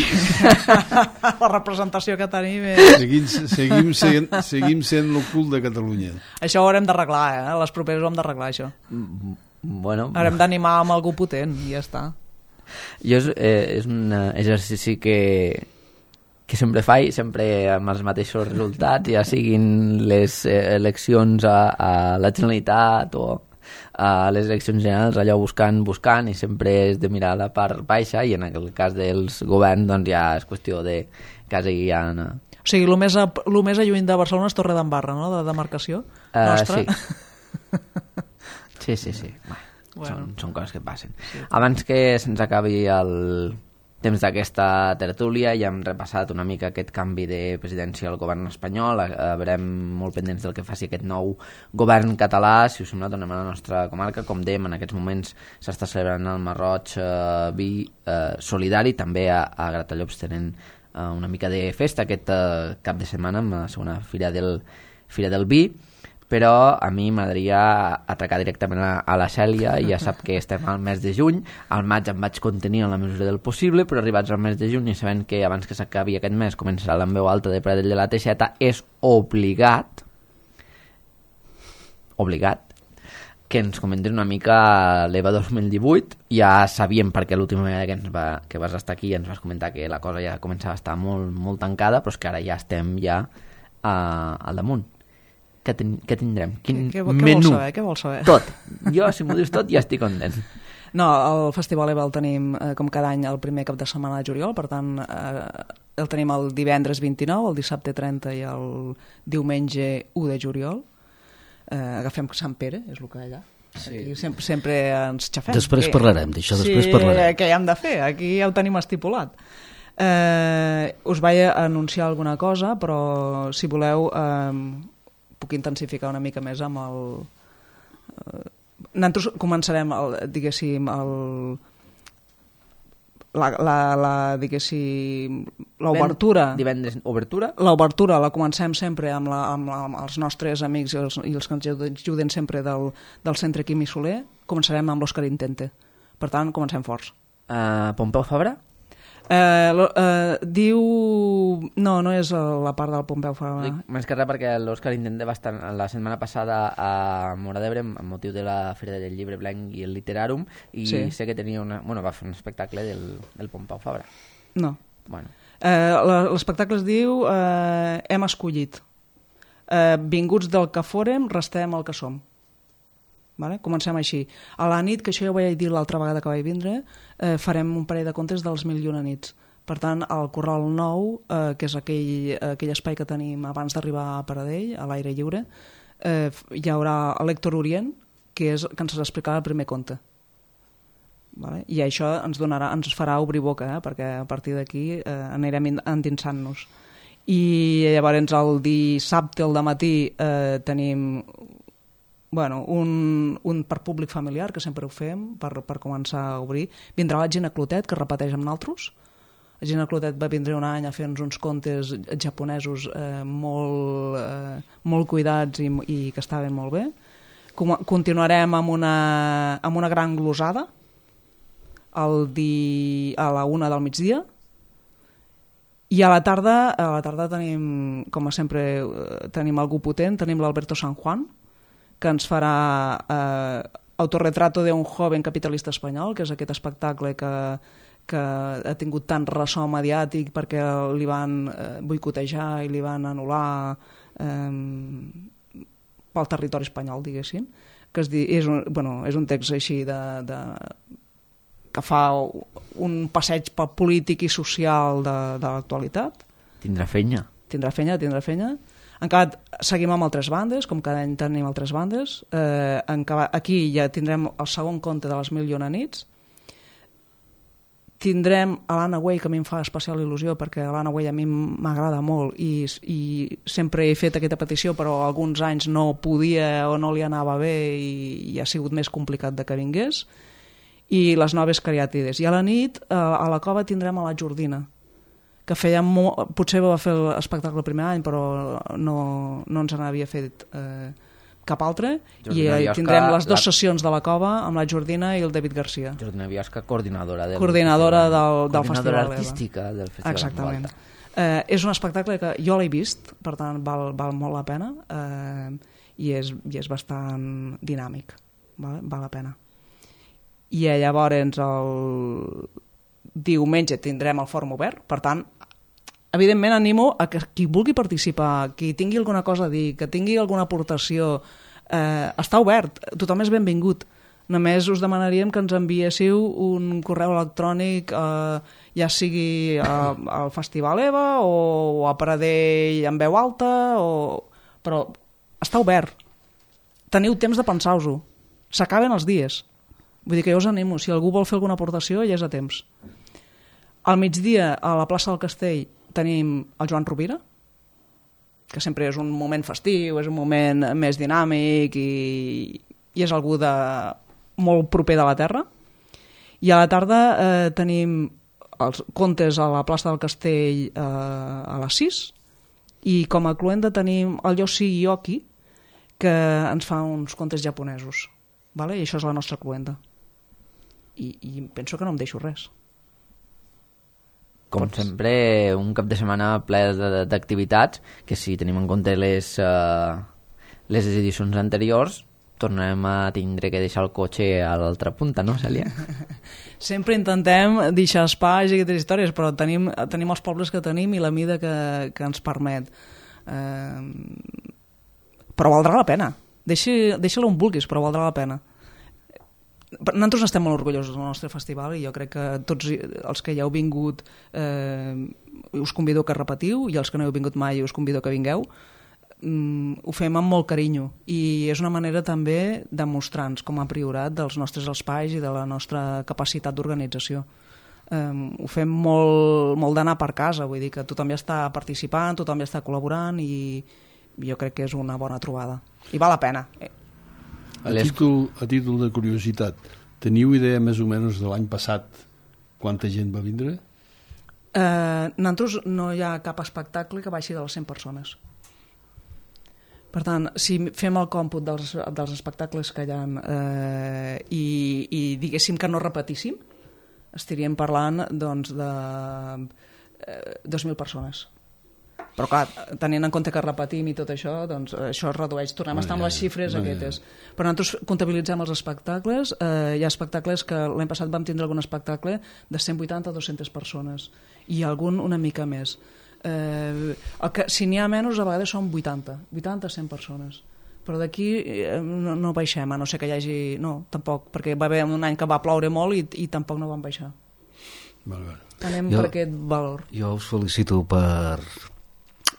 La representació que tenim és... Seguim, seguim, sent, seguim sent l'ocult de Catalunya. Això ho haurem d'arreglar, eh? Les properes ho hem d'arreglar, això. Bueno... Haurem d'animar amb algú potent, i ja està. Jo és, eh, és un exercici que, que sempre faig, sempre amb els mateixos resultats, ja siguin les eh, eleccions a, a la Generalitat o a les eleccions generals, allò buscant, buscant, i sempre és de mirar la part baixa, i en el cas dels governs doncs ja és qüestió de quasi ja... No. O sigui, el més, a, el més a lluny de Barcelona és Torredembarra, no?, de demarcació uh, nostra. Sí. Sí, sí, sí. Bueno, bueno. Són, són coses que passen. Sí. Abans que se'ns acabi el temps d'aquesta tertúlia, ja hem repassat una mica aquest canvi de presidència al govern espanyol, verem molt pendents del que faci aquest nou govern català. Si us sembla, tornem a la nostra comarca. Com dèiem, en aquests moments s'està celebrant el Marroig eh, Vi eh, Solidari, també a, a Gratallops tenen eh, una mica de festa aquest eh, cap de setmana amb la segona fira del, fira del Vi. Però a mi m'agradaria atracar directament a, a la Cèlia, i ja sap que estem al mes de juny, al maig em vaig contenir en la mesura del possible, però arribats al mes de juny i sabent que abans que s'acabi aquest mes començarà l'En veu alta de Pradell de la Teixeta, és obligat, obligat, que ens comentin una mica l'Eva dos mil divuit. Ja sabíem, perquè l'última vegada que, ens va, que vas estar aquí ens vas comentar que la cosa ja començava a estar molt, molt tancada, però és que ara ja estem ja uh, al damunt. Què, ten, què tindrem? Quin què, què menú? Vol saber? Què vol saber? Tot. Jo, si m'ho dius tot, ja estic content. No, el Festival EVA el tenim, eh, com cada any, el primer cap de setmana de juliol, per tant, eh, el tenim el divendres vint-i-nou, el dissabte trenta i el diumenge u de juliol. Eh, agafem Sant Pere, és el que hi ha allà. Sí. Aquí sempre, sempre ens xafem. Després que, parlarem d'això, després sí, parlarem. Què hi hem de fer? Aquí ja ho tenim estipulat. Eh, us vaig anunciar alguna cosa, però si voleu... Eh, puc intensificar una mica més amb el... Eh, nosaltres començarem, el, diguéssim, el, la, la, la, diguéssim, l'obertura... Divendres, obertura? L'obertura la comencem sempre amb, la, amb, la, amb els nostres amics i els, i els que ens ajuden sempre del, del Centre Quimi Soler. Començarem amb l'Òscar Intente. Per tant, comencem forts. Uh, Pompeu Fabra? Eh, eh, diu... No, no és la part del Pompeu Fabra. Dic, més que res perquè l'Òscar Intente va estar la setmana passada a Móra d'Ebre amb motiu de la Fira del Llibre Blanc i el Literàrum, i sí. sé que tenia una... Bueno, va fer un espectacle del, del Pompeu Fabra. No. Bueno. Eh, l'espectacle es diu eh, Hem escollit. Eh, vinguts del que fórem, restem el que som. Vale? Comencem així. A la nit, que això ja ho vaig dir l'altra vegada que vaig vindre, eh, farem un parell de contes dels Mil i una nits. Per tant, al Corral Nou, eh, que és aquell, aquell espai que tenim abans d'arribar a Pradell, a l'aire lliure, eh, hi haurà l'Héctor Orient, que és que ens explicarà el primer conte. Vale? I això ens, donarà, ens farà obrir boca, eh? Perquè a partir d'aquí eh, anirem endinsant-nos. I llavors el dissabte al dematí eh, tenim... Bueno, un, un per públic familiar, que sempre ho fem, per, per començar a obrir. Vindrà la Gina Clotet, que repeteix amb nosaltres. La Gina Clotet va vindre un any a fer-nos uns contes japonesos eh, molt, eh, molt cuidats i, i que estaven molt bé. Com, continuarem amb una, amb una gran glosada el di, a la una del migdia. I a la tarda, a la tarda tenim, com sempre, tenim algú potent, tenim l'Alberto San Juan, que ens farà eh, Autorretrato de un joven capitalista espanyol, que és aquest espectacle que, que ha tingut tant ressò mediàtic perquè li van eh, boicotejar i li van anul·lar eh, pel territori espanyol, diguéssim. Que es di, és, un, bueno, és un text així de, de, que fa un passeig polític i social de, de l'actualitat. Tindrà fenya. Tindrà fenya, tindrà fenya. Encara seguim amb altres bandes, com cada any tenim altres bandes. Eh, encara, aquí ja tindrem el segon conte de les Mil i una nits. Tindrem a l'Anna Way, que a mi em fa especial il·lusió, perquè l'Anna Way a mi m'agrada molt i, i sempre he fet aquesta petició, però alguns anys no podia o no li anava bé i, i ha sigut més complicat de que vingués. I les Noves Cariàtides. I a la nit, eh, a la cova tindrem a la Jordina, que feia molt, potser va fer l'espectacle el primer any, però no, no ens n'havia fet eh, cap altre. Jordina I Biosca, tindrem les dues la... sessions de la cova amb la Jordina i el David Garcia. Jordina Biosca, coordinadora del coordinadora del, del coordinadora Festival artística EVA. Del Festival. Exactament. Eh, és un espectacle que jo l'he vist, per tant val, val molt la pena, eh, i, és, i és bastant dinàmic, val, val la pena. I llavors el diumenge tindrem el fòrum obert, per tant, evidentment animo a que qui vulgui participar, qui tingui alguna cosa a dir, que tingui alguna aportació, eh, està obert, tothom és benvingut. Només us demanaríem que ens enviéssiu un correu electrònic, eh, ja sigui a, al Festival EVA o a Pradell en veu alta, o... però està obert. Teniu temps de pensar-vos-ho. S'acaben els dies. Vull dir que jo us animo, si algú vol fer alguna aportació ja és a temps. Al migdia, a la plaça del Castell, tenim el Joan Rovira, que sempre és un moment festiu, és un moment més dinàmic i, i és algú de, molt proper de la terra. I a la tarda eh, tenim els contes a la plaça del Castell eh, a les sis, i com a cluenda tenim el Yoshi Yoki, que ens fa uns contes japonesos. Vale? I això és la nostra cluenda. I, i penso que no em deixo res. Com Pots... sempre, un cap de setmana ple d'activitats, que si tenim en compte les, uh, les edicions anteriors, tornarem a tindre que deixar el cotxe a l'altra punta, no, Cèlia? Sempre intentem deixar espais i aquestes històries, però tenim, tenim els pobles que tenim i la mida que, que ens permet. Eh, però valdrà la pena. Deixa, deixa-la on vulguis, però valdrà la pena. Nosaltres estem molt orgullosos del nostre festival i jo crec que tots els que ja heu vingut eh, us convido que repetiu, i els que no heu vingut mai us convido que vingueu. Mm, ho fem amb molt carinyo i és una manera també de mostrar-nos com a priorat dels nostres espais i de la nostra capacitat d'organització. Um, ho fem molt, molt d'anar per casa, vull dir que tothom ja està participant, tothom ja està col·laborant i jo crec que és una bona trobada i val la pena. A títol, a títol de curiositat, teniu idea més o menys de l'any passat quanta gent va vindre? Uh, nosaltres no hi ha cap espectacle que baixi de les cent persones. Per tant, si fem el còmput dels, dels espectacles que hi ha eh, i, i diguéssim que no repetíssim, estaríem parlant doncs, de eh, dos mil persones. Però clar, tenint en compte que repetim i tot això, doncs això es redueix. Tornem a estar amb les xifres no, aquestes. Però nosaltres comptabilitzem els espectacles. Eh, hi ha espectacles que l'any passat vam tindre algun espectacle de cent vuitanta a dues-centes persones i algun una mica més. Eh, el que, si n'hi ha menys, a vegades són vuitanta, vuitanta a cent persones. Però d'aquí eh, no, no baixem, a no ser que hi hagi... No, tampoc, perquè va haver un any que va ploure molt i, i tampoc no van baixar. Val, val. Anem jo, per aquest valor. Jo us felicito per...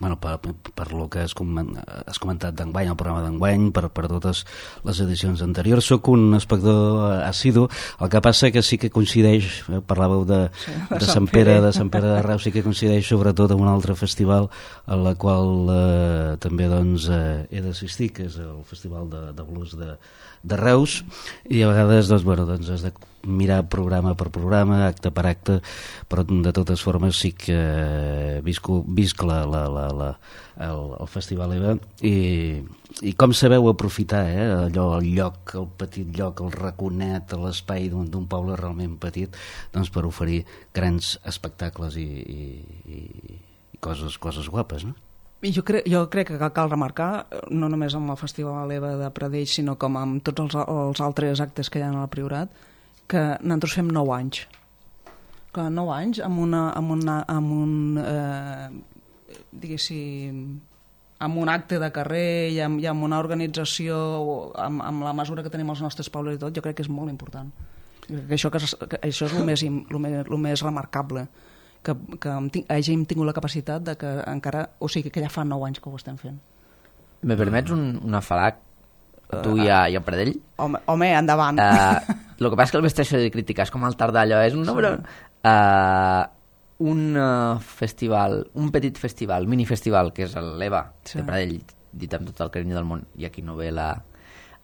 Bueno, per, per lo que has comentat d'enguany, el programa d'enguany, per, per totes les edicions anteriors. Soc un espectador assidu, el que passa que sí que coincideix, eh, parlàveu de, sí, de, de Sant Pere, de Sant Pere de Reus, sí que coincideix sobretot amb un altre festival a la qual eh, també doncs, eh, he d'assistir, que és el Festival de, de Blues de, de Reus, i a vegades doncs, bueno, doncs has de mirar programa per programa, acte per acte, però de totes formes sí que visco, visc la, la, la, la, el, el Festival EVA i, i com sabeu aprofitar eh, allò, el lloc, el petit lloc, el raconet, l'espai d'un poble realment petit, doncs per oferir grans espectacles i, i, i coses, coses guapes, no? Jo crec, jo crec que cal remarcar, no només amb el Festival EVA de Pradell, sinó com amb tots els, els altres actes que hi ha al Priorat, que nosaltres fem nou anys. Clar, nou anys amb, una, amb, una, amb un, eh, diguéssim, amb un acte de carrer i amb, i amb una organització, amb, amb la mesura que tenim els nostres pobles i tot, jo crec que és molt important. Que això, que, que això és el més, el més, el més remarcable, que, que hàgim tingut la capacitat de que encara, o sigui, que ja fa nou anys que ho estem fent. Me permets un, un afalac? Tu i a, i a Pradell? Home, home endavant. Uh, el que passa és que el vesteixo de crítica és com el tardar allò, és un nombre... Uh, un uh, festival, un petit festival, minifestival, que és l'EVA sí. de Pradell, dit amb tot el carinyo del món, i aquí no ve la...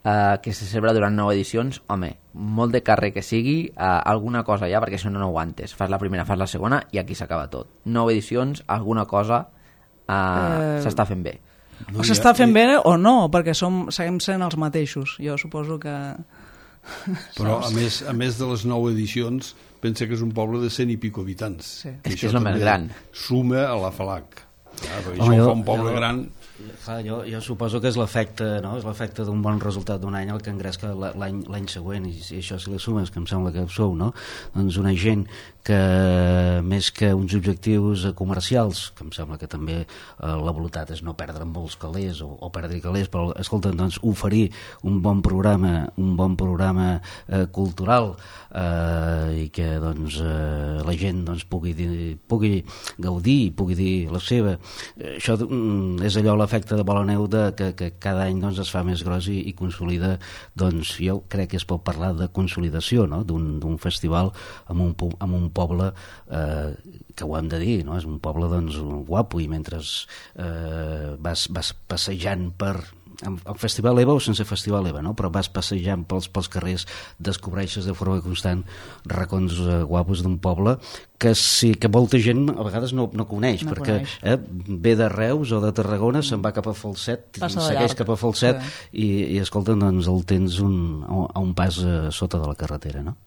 Uh, que se celebra durant nou edicions, home, molt de carrer que sigui, uh, alguna cosa ja, perquè això no, no ho aguantes. Fas la primera, fas la segona, i aquí s'acaba tot. Nou edicions, alguna cosa uh, uh... s'està fent bé. No, o s'està fent bé o no, perquè som, seguim sent els mateixos. Jo suposo que... Però a més, a més de les nou edicions, pensa que és un poble de cent i pico habitants. Sí. És que és el més gran. Suma a la Falac. Ja, perquè Home, això jo, fa un poble jo... gran Clar, jo, jo suposo que és l'efecte, no? És l'efecte d'un bon resultat d'un any el que engresca l'any l'any següent, i, i això si li sumes, que em sembla que sou, no? Doncs una gent que més que uns objectius comercials, que em sembla que també eh, la voluntat és no perdre molts calés o, o perdre calés, però escolta, doncs oferir un bon programa, un bon programa eh, cultural eh, i que doncs eh, la gent doncs pugui, dir, pugui gaudir, pugui dir la seva. Eh, això mm, és allò l'efecte de bola neu de, que, que cada any doncs, es fa més gros i, i consolida, doncs jo crec que es pot parlar de consolidació, no? d'un festival amb un, amb un poble eh, que ho hem de dir, no? És un poble doncs, guapo, i mentre eh, vas, vas passejant per el Festival EVA o sense Festival EVA, no? Però vas passejant pels, pels carrers, descobreixes de forma constant racons eh, guapos d'un poble que sí que molta gent a vegades no, no coneix, no perquè coneix. Eh, ve de Reus o de Tarragona, se'n va cap a Falset, segueix cap a Falset, sí. i, i escolta, doncs el tens un, a un pas a sota de la carretera, no?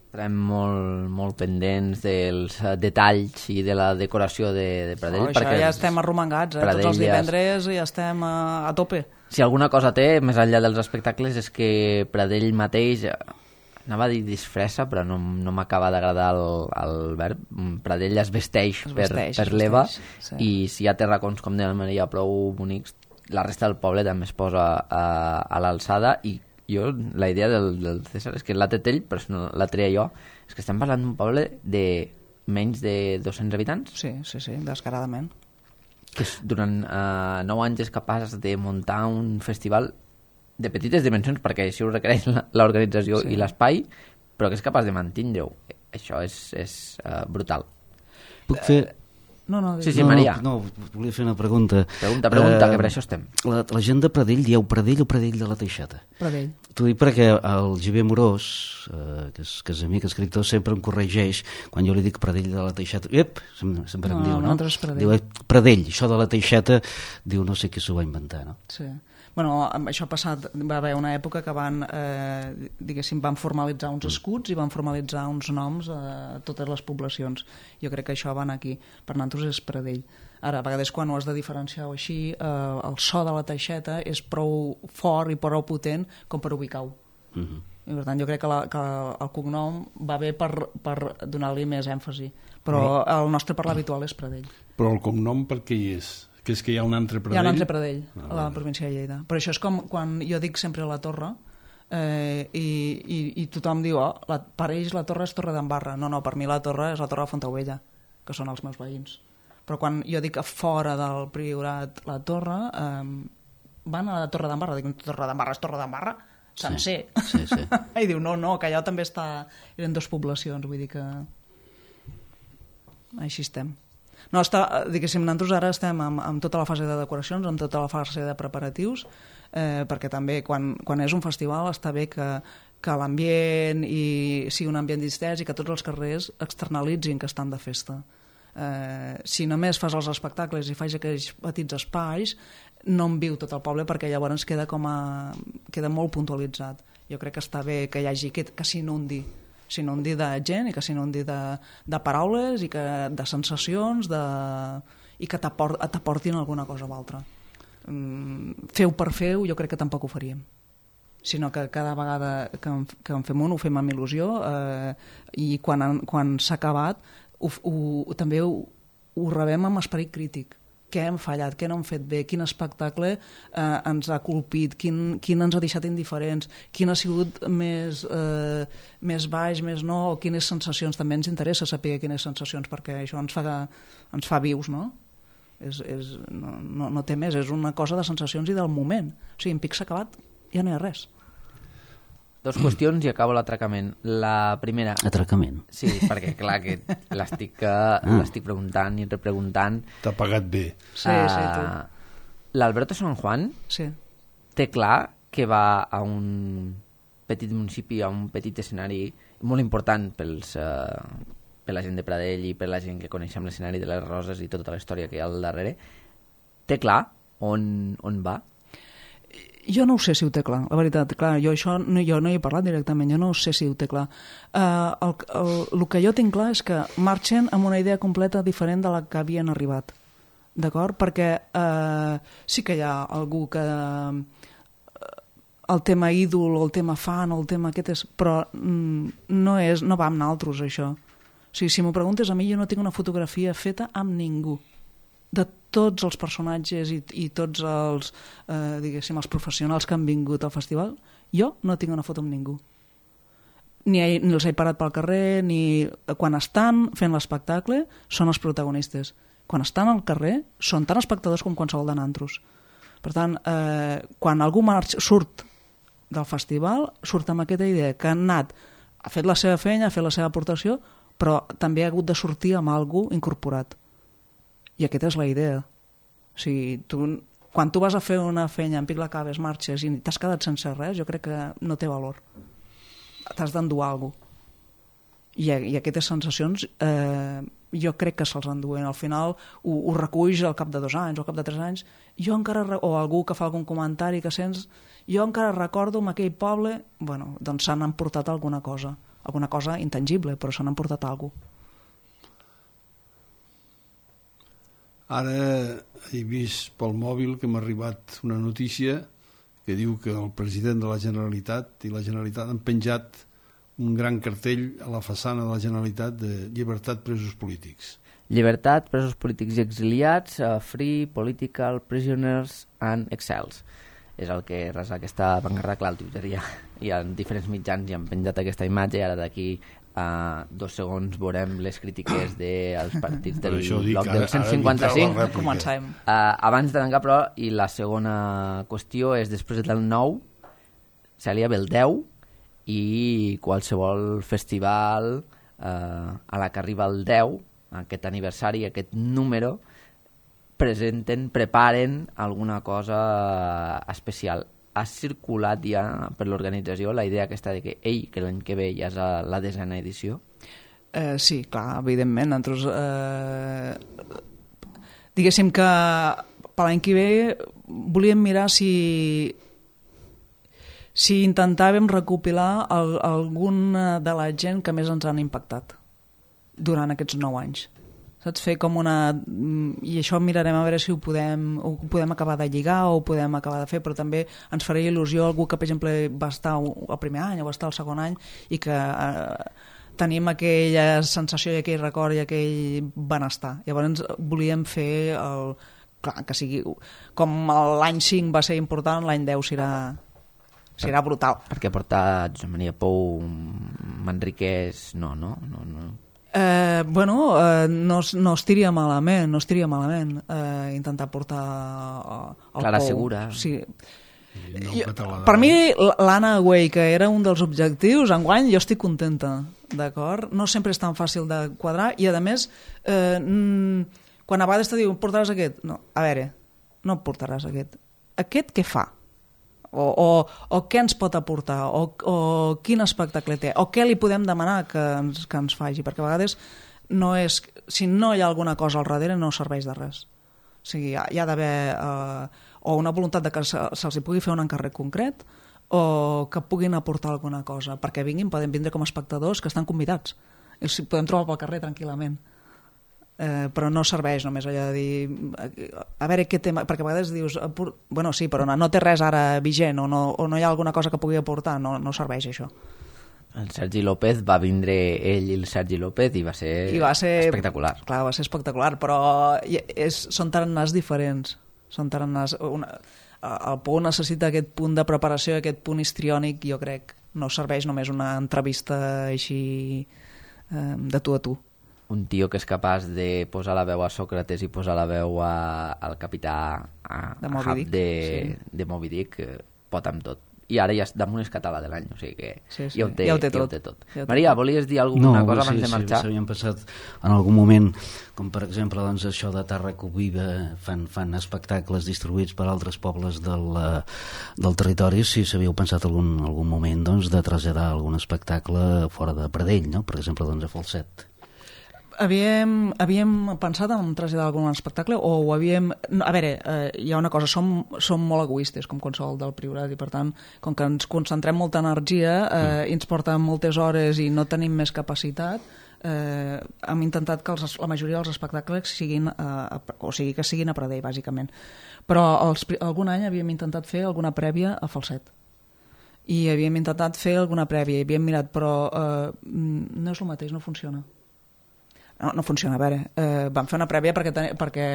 Estarem molt, molt pendents dels detalls i de la decoració de, de Pradell. Oh, això ja estem arromangats, eh? Tots els divendres ja estem a, a tope. Si alguna cosa té, més enllà dels espectacles, és que Pradell mateix, anava a dir disfressa, però no, no m'acaba d'agradar el, el verb, Pradell es vesteix, es vesteix per, per l'Eva, sí. I si hi ha terracons, com deia la Maria, prou bonics, la resta del poble també es posa a, a l'alçada. I jo, la idea del, del César és que l'ha tret ell, però no la treia jo, és que estem parlant d'un poble de menys de dos-cents habitants. Sí, sí, sí, descaradament. Que és, durant uh, nou anys és capaç de muntar un festival de petites dimensions, perquè així ho requereix l'organització sí. I l'espai, però que és capaç de mantindre-ho. Això és, és uh, brutal. Puc fer... No, no, sí, sí, Maria. No, no, volia fer una pregunta. Pregunta, pregunta, uh, que per això estem. La, la gent de Pradell, dieu Pradell o Pradell de la Teixeta? Pradell. T'ho dic perquè el Javier Morós, uh, que, és, que és amic escriptor, sempre em corregeix quan jo li dic Pradell de la Teixeta. Ep, sempre no, em diu, no? no? Pradell. Diu, eh, Pradell, això de la Teixeta, diu, no sé qui s'ho va inventar, no? Sí. Bueno, això ha passat, va haver una època que van, eh, diguéssim, van formalitzar uns escuts i van formalitzar uns noms a totes les poblacions. Jo crec que això va anar aquí. Per nosaltres és Pradell. Ara, a vegades quan ho has de diferenciar o així, eh, el so de la Teixeta és prou fort i prou potent com per ubicar-ho. Uh-huh. I per tant, jo crec que, la, que el cognom va bé per, per donar-li més èmfasi. Però uh-huh. el nostre parlar habitual és Pradell. Però el cognom per què hi és? Que és que hi ha un altre Pradell? Hi ha un altre Pradell, ah, a la província de Lleida. Però això és com quan jo dic sempre la Torre eh, i, i, i tothom diu, oh, la, per ells la Torre és Torre d'Embarra. No, no, per mi la Torre és la Torre de Fontaubella, que són els meus veïns. Però quan jo dic a fora del Priorat la Torre, eh, van a la Torre d'Embarra. Dic, Torre d'Embarra és Torre d'Embarra? Sencer. Sí, sí, sí. I diu, no, no, que allò també està... Eren dues poblacions, vull dir que... Així estem. No, està, diguéssim, nosaltres ara estem amb, amb tota la fase de decoracions, amb tota la fase de preparatius, eh, perquè també quan, quan és un festival està bé que, que l'ambient i sigui un ambient distès i que tots els carrers externalitzin que estan de festa. Eh, si només fas els espectacles i fas aquells petits espais, no en viu tot el poble perquè llavors queda, com a, queda molt puntualitzat. Jo crec que està bé que hi hagi que, que s'inundi s'inundi de gent i que s'inundi de, de paraules i que, de sensacions de, i que t'aportin alguna cosa o altra. Mm, feu per feu jo crec que tampoc ho faríem, sinó que cada vegada que en, que en fem un ho fem amb il·lusió eh, i quan, quan s'ha acabat ho, ho, també ho, ho rebem amb esperit crític. Què hem fallat, què no hem fet bé, quin espectacle eh, ens ha colpit, quin, quin ens ha deixat indiferents, quin ha sigut més, eh, més baix, més no, o quines sensacions. També ens interessa saber quines sensacions, perquè això ens fa, ens fa vius, no? És, és, no, no, no té més, és una cosa de sensacions i del moment. O sigui, en pic s'ha acabat, ja no hi ha res. Dos qüestions i acabo l'atracament. La primera... Atracament? Sí, perquè clar que l'estic ah. l'estic preguntant i repreguntant. T'ha pagat bé. Sí, uh, sí, tu. L'Alberto San Juan sí. té clar que va a un petit municipi, a un petit escenari molt important pels, uh, per la gent de Pradell i per la gent que coneixem l'escenari de les Roses i tota la història que hi ha al darrere. Té clar on, on va? Jo no ho sé si ho té clar, la veritat. Clar, jo això no, jo no hi he parlat directament, jo no sé si ho té clar. Uh, el, el, el que jo tinc clar és que marxen amb una idea completa diferent de la que havien arribat. d'acord? Perquè eh, sí que hi ha algú que eh, el tema ídol o el tema fan o el tema aquest és... Però mm, no, és, no va amb naltros, això. O sigui, si m'ho preguntes a mi, jo no tinc una fotografia feta amb ningú. De tots els personatges i, i tots els, eh, diguéssim, els professionals que han vingut al festival, jo no tinc una foto amb ningú. Ni, ni els he parat pel carrer, ni quan estan fent l'espectacle són els protagonistes. Quan estan al carrer són tan espectadors com qualsevol de nantros. Per tant, eh, quan algú marx, surt del festival, surt amb aquesta idea que han anat, ha fet la seva feina, ha fet la seva aportació, però també ha hagut de sortir amb algú incorporat. I aquesta és la idea. O sigui, tu, quan tu vas a fer una feina en pic la cabes, marxes i t'has quedat sense res, jo crec que no té valor. T'has d'endur alguna cosa. I, I aquestes sensacions eh, jo crec que se'ls enduen. Al final ho, ho reculls al cap de dos anys o al cap de tres anys, jo encara, o algú que fa algun comentari que sents, jo encara recordo en aquell poble, bueno, doncs s'han emportat alguna cosa, alguna cosa intangible, però s'han emportat alguna cosa. Ara he vist pel mòbil que m'ha arribat una notícia que diu que el president de la Generalitat i la Generalitat han penjat un gran cartell a la façana de la Generalitat de llibertat presos polítics. Llibertat, presos polítics i exiliats, uh, free, political, prisoners and exiles. És el que resa aquesta pancarta, clar, al Twitter hi ha, hi ha diferents mitjans i han penjat aquesta imatge i ara d'aquí a dos segons veurem les crítiques dels partits del bloc del cent cinquanta-cinc. Comencem. Uh, abans de tancar, però, i la segona qüestió és després del nou, Cèlia, ve el deu, i qualsevol festival uh, a la que arriba el deu, aquest aniversari, aquest número, presenten, preparen alguna cosa especial. Ha circulat ja per l'organització la idea aquesta de que, ei, que l'any que ve ja és la desena edició? Eh, sí, clar, evidentment. Nosaltres, eh, diguéssim que per l'any que ve volíem mirar si si intentàvem recopilar el, alguna de la gent que més ens han impactat durant aquests nou anys. Saps? Fer com una... I això mirarem a veure si ho podem, ho podem acabar de lligar o ho podem acabar de fer, però també ens faria il·lusió algú que, per exemple, va estar el primer any o va estar el segon any i que eh, tenim aquella sensació i aquell record i aquell benestar. Llavors volíem fer el... Clar, que sigui... Com l'any cinc va ser important, l'any deu serà... serà brutal. Perquè portar Josep Maria Pou, Manriquès, no, no? no, no. Eh, bueno, eh, no, no estiria malament, no estiria malament eh, intentar portar el Clara Pou. Segura. Sí. No, jo, per mi, l'Anna Güell, que era un dels objectius, enguany jo estic contenta, d'acord? No sempre és tan fàcil de quadrar i, a més, eh, quan a vegades te diuen portaràs aquest, no, a veure, no portaràs aquest. Aquest què fa? O, o, o què ens pot aportar, o, o quin espectacle té, o què li podem demanar que ens, que ens faci, perquè a vegades no és, si no hi ha alguna cosa al darrere no serveix de res. O sigui, hi ha, hi ha d'haver eh, o una voluntat de que se, se'ls pugui fer un encàrrec concret o que puguin aportar alguna cosa, perquè vinguin, poden vindre com a espectadors que estan convidats i els podem trobar pel carrer tranquil·lament. Eh, però no serveix només allò de dir a veure què tema, perquè a vegades dius bueno sí, però no, no té res ara vigent o no, o no hi ha alguna cosa que pugui aportar, no, no serveix això. El Sergi López va vindre ell i el Sergi López i va ser, I va ser espectacular. Clar, va ser espectacular, però és, són tarannars diferents. Són tarannars... Una, el Pou necessita aquest punt de preparació, aquest punt histriònic, jo crec. No serveix només una entrevista així eh, de tu a tu. Un tio que és capaç de posar la veu a Sòcrates i posar la veu a, al capità a, de Moby Dick, de, sí. de Moby Dick, pot amb tot. I ara ja damunt és català de l'any, o sigui que sí, sí. Ja, ho té, ja ho té tot. Ja ho té tot. Ja ho té Maria, tot. volies dir alguna no, cosa sí, abans de marxar? Sí, s'havien passat en algun moment, com per exemple doncs, això de Tàrraco Viva, fan, fan espectacles distribuïts per altres pobles del, del territori, si s'havíeu pensat algun, algun moment doncs, de traslladar algun espectacle fora de Pradell, no? Per exemple, doncs, a Falset. Havíem, havíem pensat en traslladar algun espectacle o ho havíem... A veure, eh, hi ha una cosa, som, som molt egoistes com qualsevol del Priorat i per tant, com que ens concentrem molta energia eh, i ens porta moltes hores i no tenim més capacitat, eh, hem intentat que els, la majoria dels espectacles siguin, eh, o sigui, que siguin a Pradell, bàsicament. Però els, algun any havíem intentat fer alguna prèvia a Falset. I havíem intentat fer alguna prèvia, i havíem mirat, però eh, no és el mateix, no funciona. No, no funciona, a veure, eh, vam fer una prèvia perquè, ten, perquè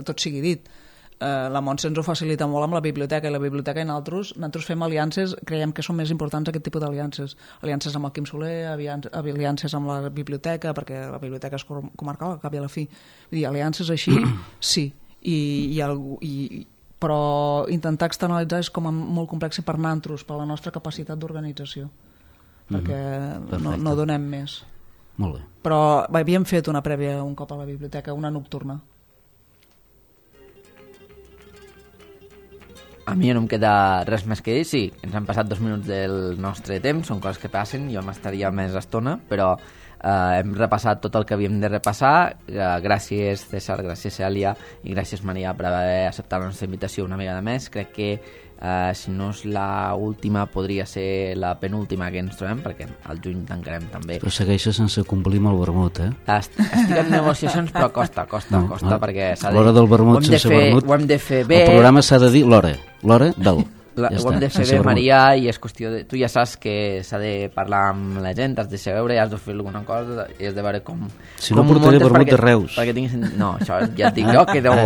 tot sigui dit. Eh, la Montse ens ho facilita molt amb la biblioteca, i la biblioteca i nosaltres, nosaltres fem aliances, creiem que són més importants aquest tipus d'aliances. Aliances amb el Quim Soler, aliances amb la biblioteca, perquè la biblioteca és comarcal, al cap i a la fi. Vull dir, aliances així, sí, i, i, algú, i però intentar externalitzar és com molt complex per nosaltres, per la nostra capacitat d'organització, perquè mm-hmm. no, no donem més. Molt bé. Però havíem fet una prèvia un cop a la biblioteca, una nocturna. A mi no em queda res més que dir, sí, ens han passat dos minuts del nostre temps, són coses que passen, jo m'estaria més estona, però eh, hem repassat tot el que havíem de repassar. Eh, gràcies César, gràcies Cèlia i gràcies Maria per haver acceptat la nostra invitació una vegada més. Crec que eh, si no és la última podria ser la penúltima que ens trobem, perquè al juny tancarem també. Però segueixes sense complir amb el vermut, eh? Est estic en negociacions, però costa, costa, no, costa, no. Perquè s'ha de... L'hora del vermut sense fer, vermut... Ho hem de fer bé. El programa s'ha de dir l'hora, l'hora del... La, ja ho hem de fer bé, Maria, i és qüestió de... Tu ja saps que s'ha de parlar amb la gent, has de veure, has de fer alguna cosa i has de veure com... Si no portaré vermut de Reus. Perquè tinguis... No, això ja et dic jo que no...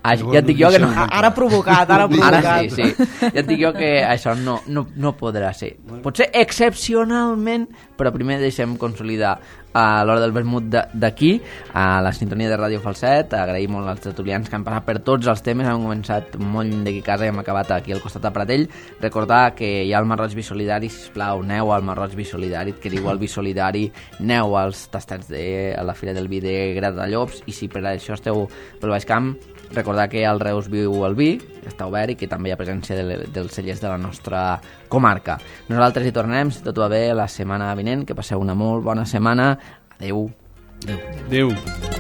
Ah, ja et dic jo que no... Ara provocat, ara provocat. Ara sí, sí. Ja et dic jo que això no, no, no podrà ser. Potser excepcionalment, però primer deixem consolidar a l'hora del vermut d'aquí, a la sintonia de Ràdio Falset. Agraïm molt als tertulians que han passat per tots els temes. Hem començat molt lluny d'aquí casa i hem acabat aquí al costat de Pratell. Recordar que hi ha el Marroig Bisolidari, sisplau, aneu al Marroig Bisolidari, que diu el Bisolidari, aneu als tastats de a la Fira del Vi de Gratallops, i si per això esteu pel Baix Camp, recordar que al Reus viu el vi, està obert, i que també hi ha presència de, dels cellers de la nostra comarca. Nosaltres hi tornarem, si tot va bé, la setmana vinent. Que passeu una molt bona setmana. Adeu. Adeu. Adeu.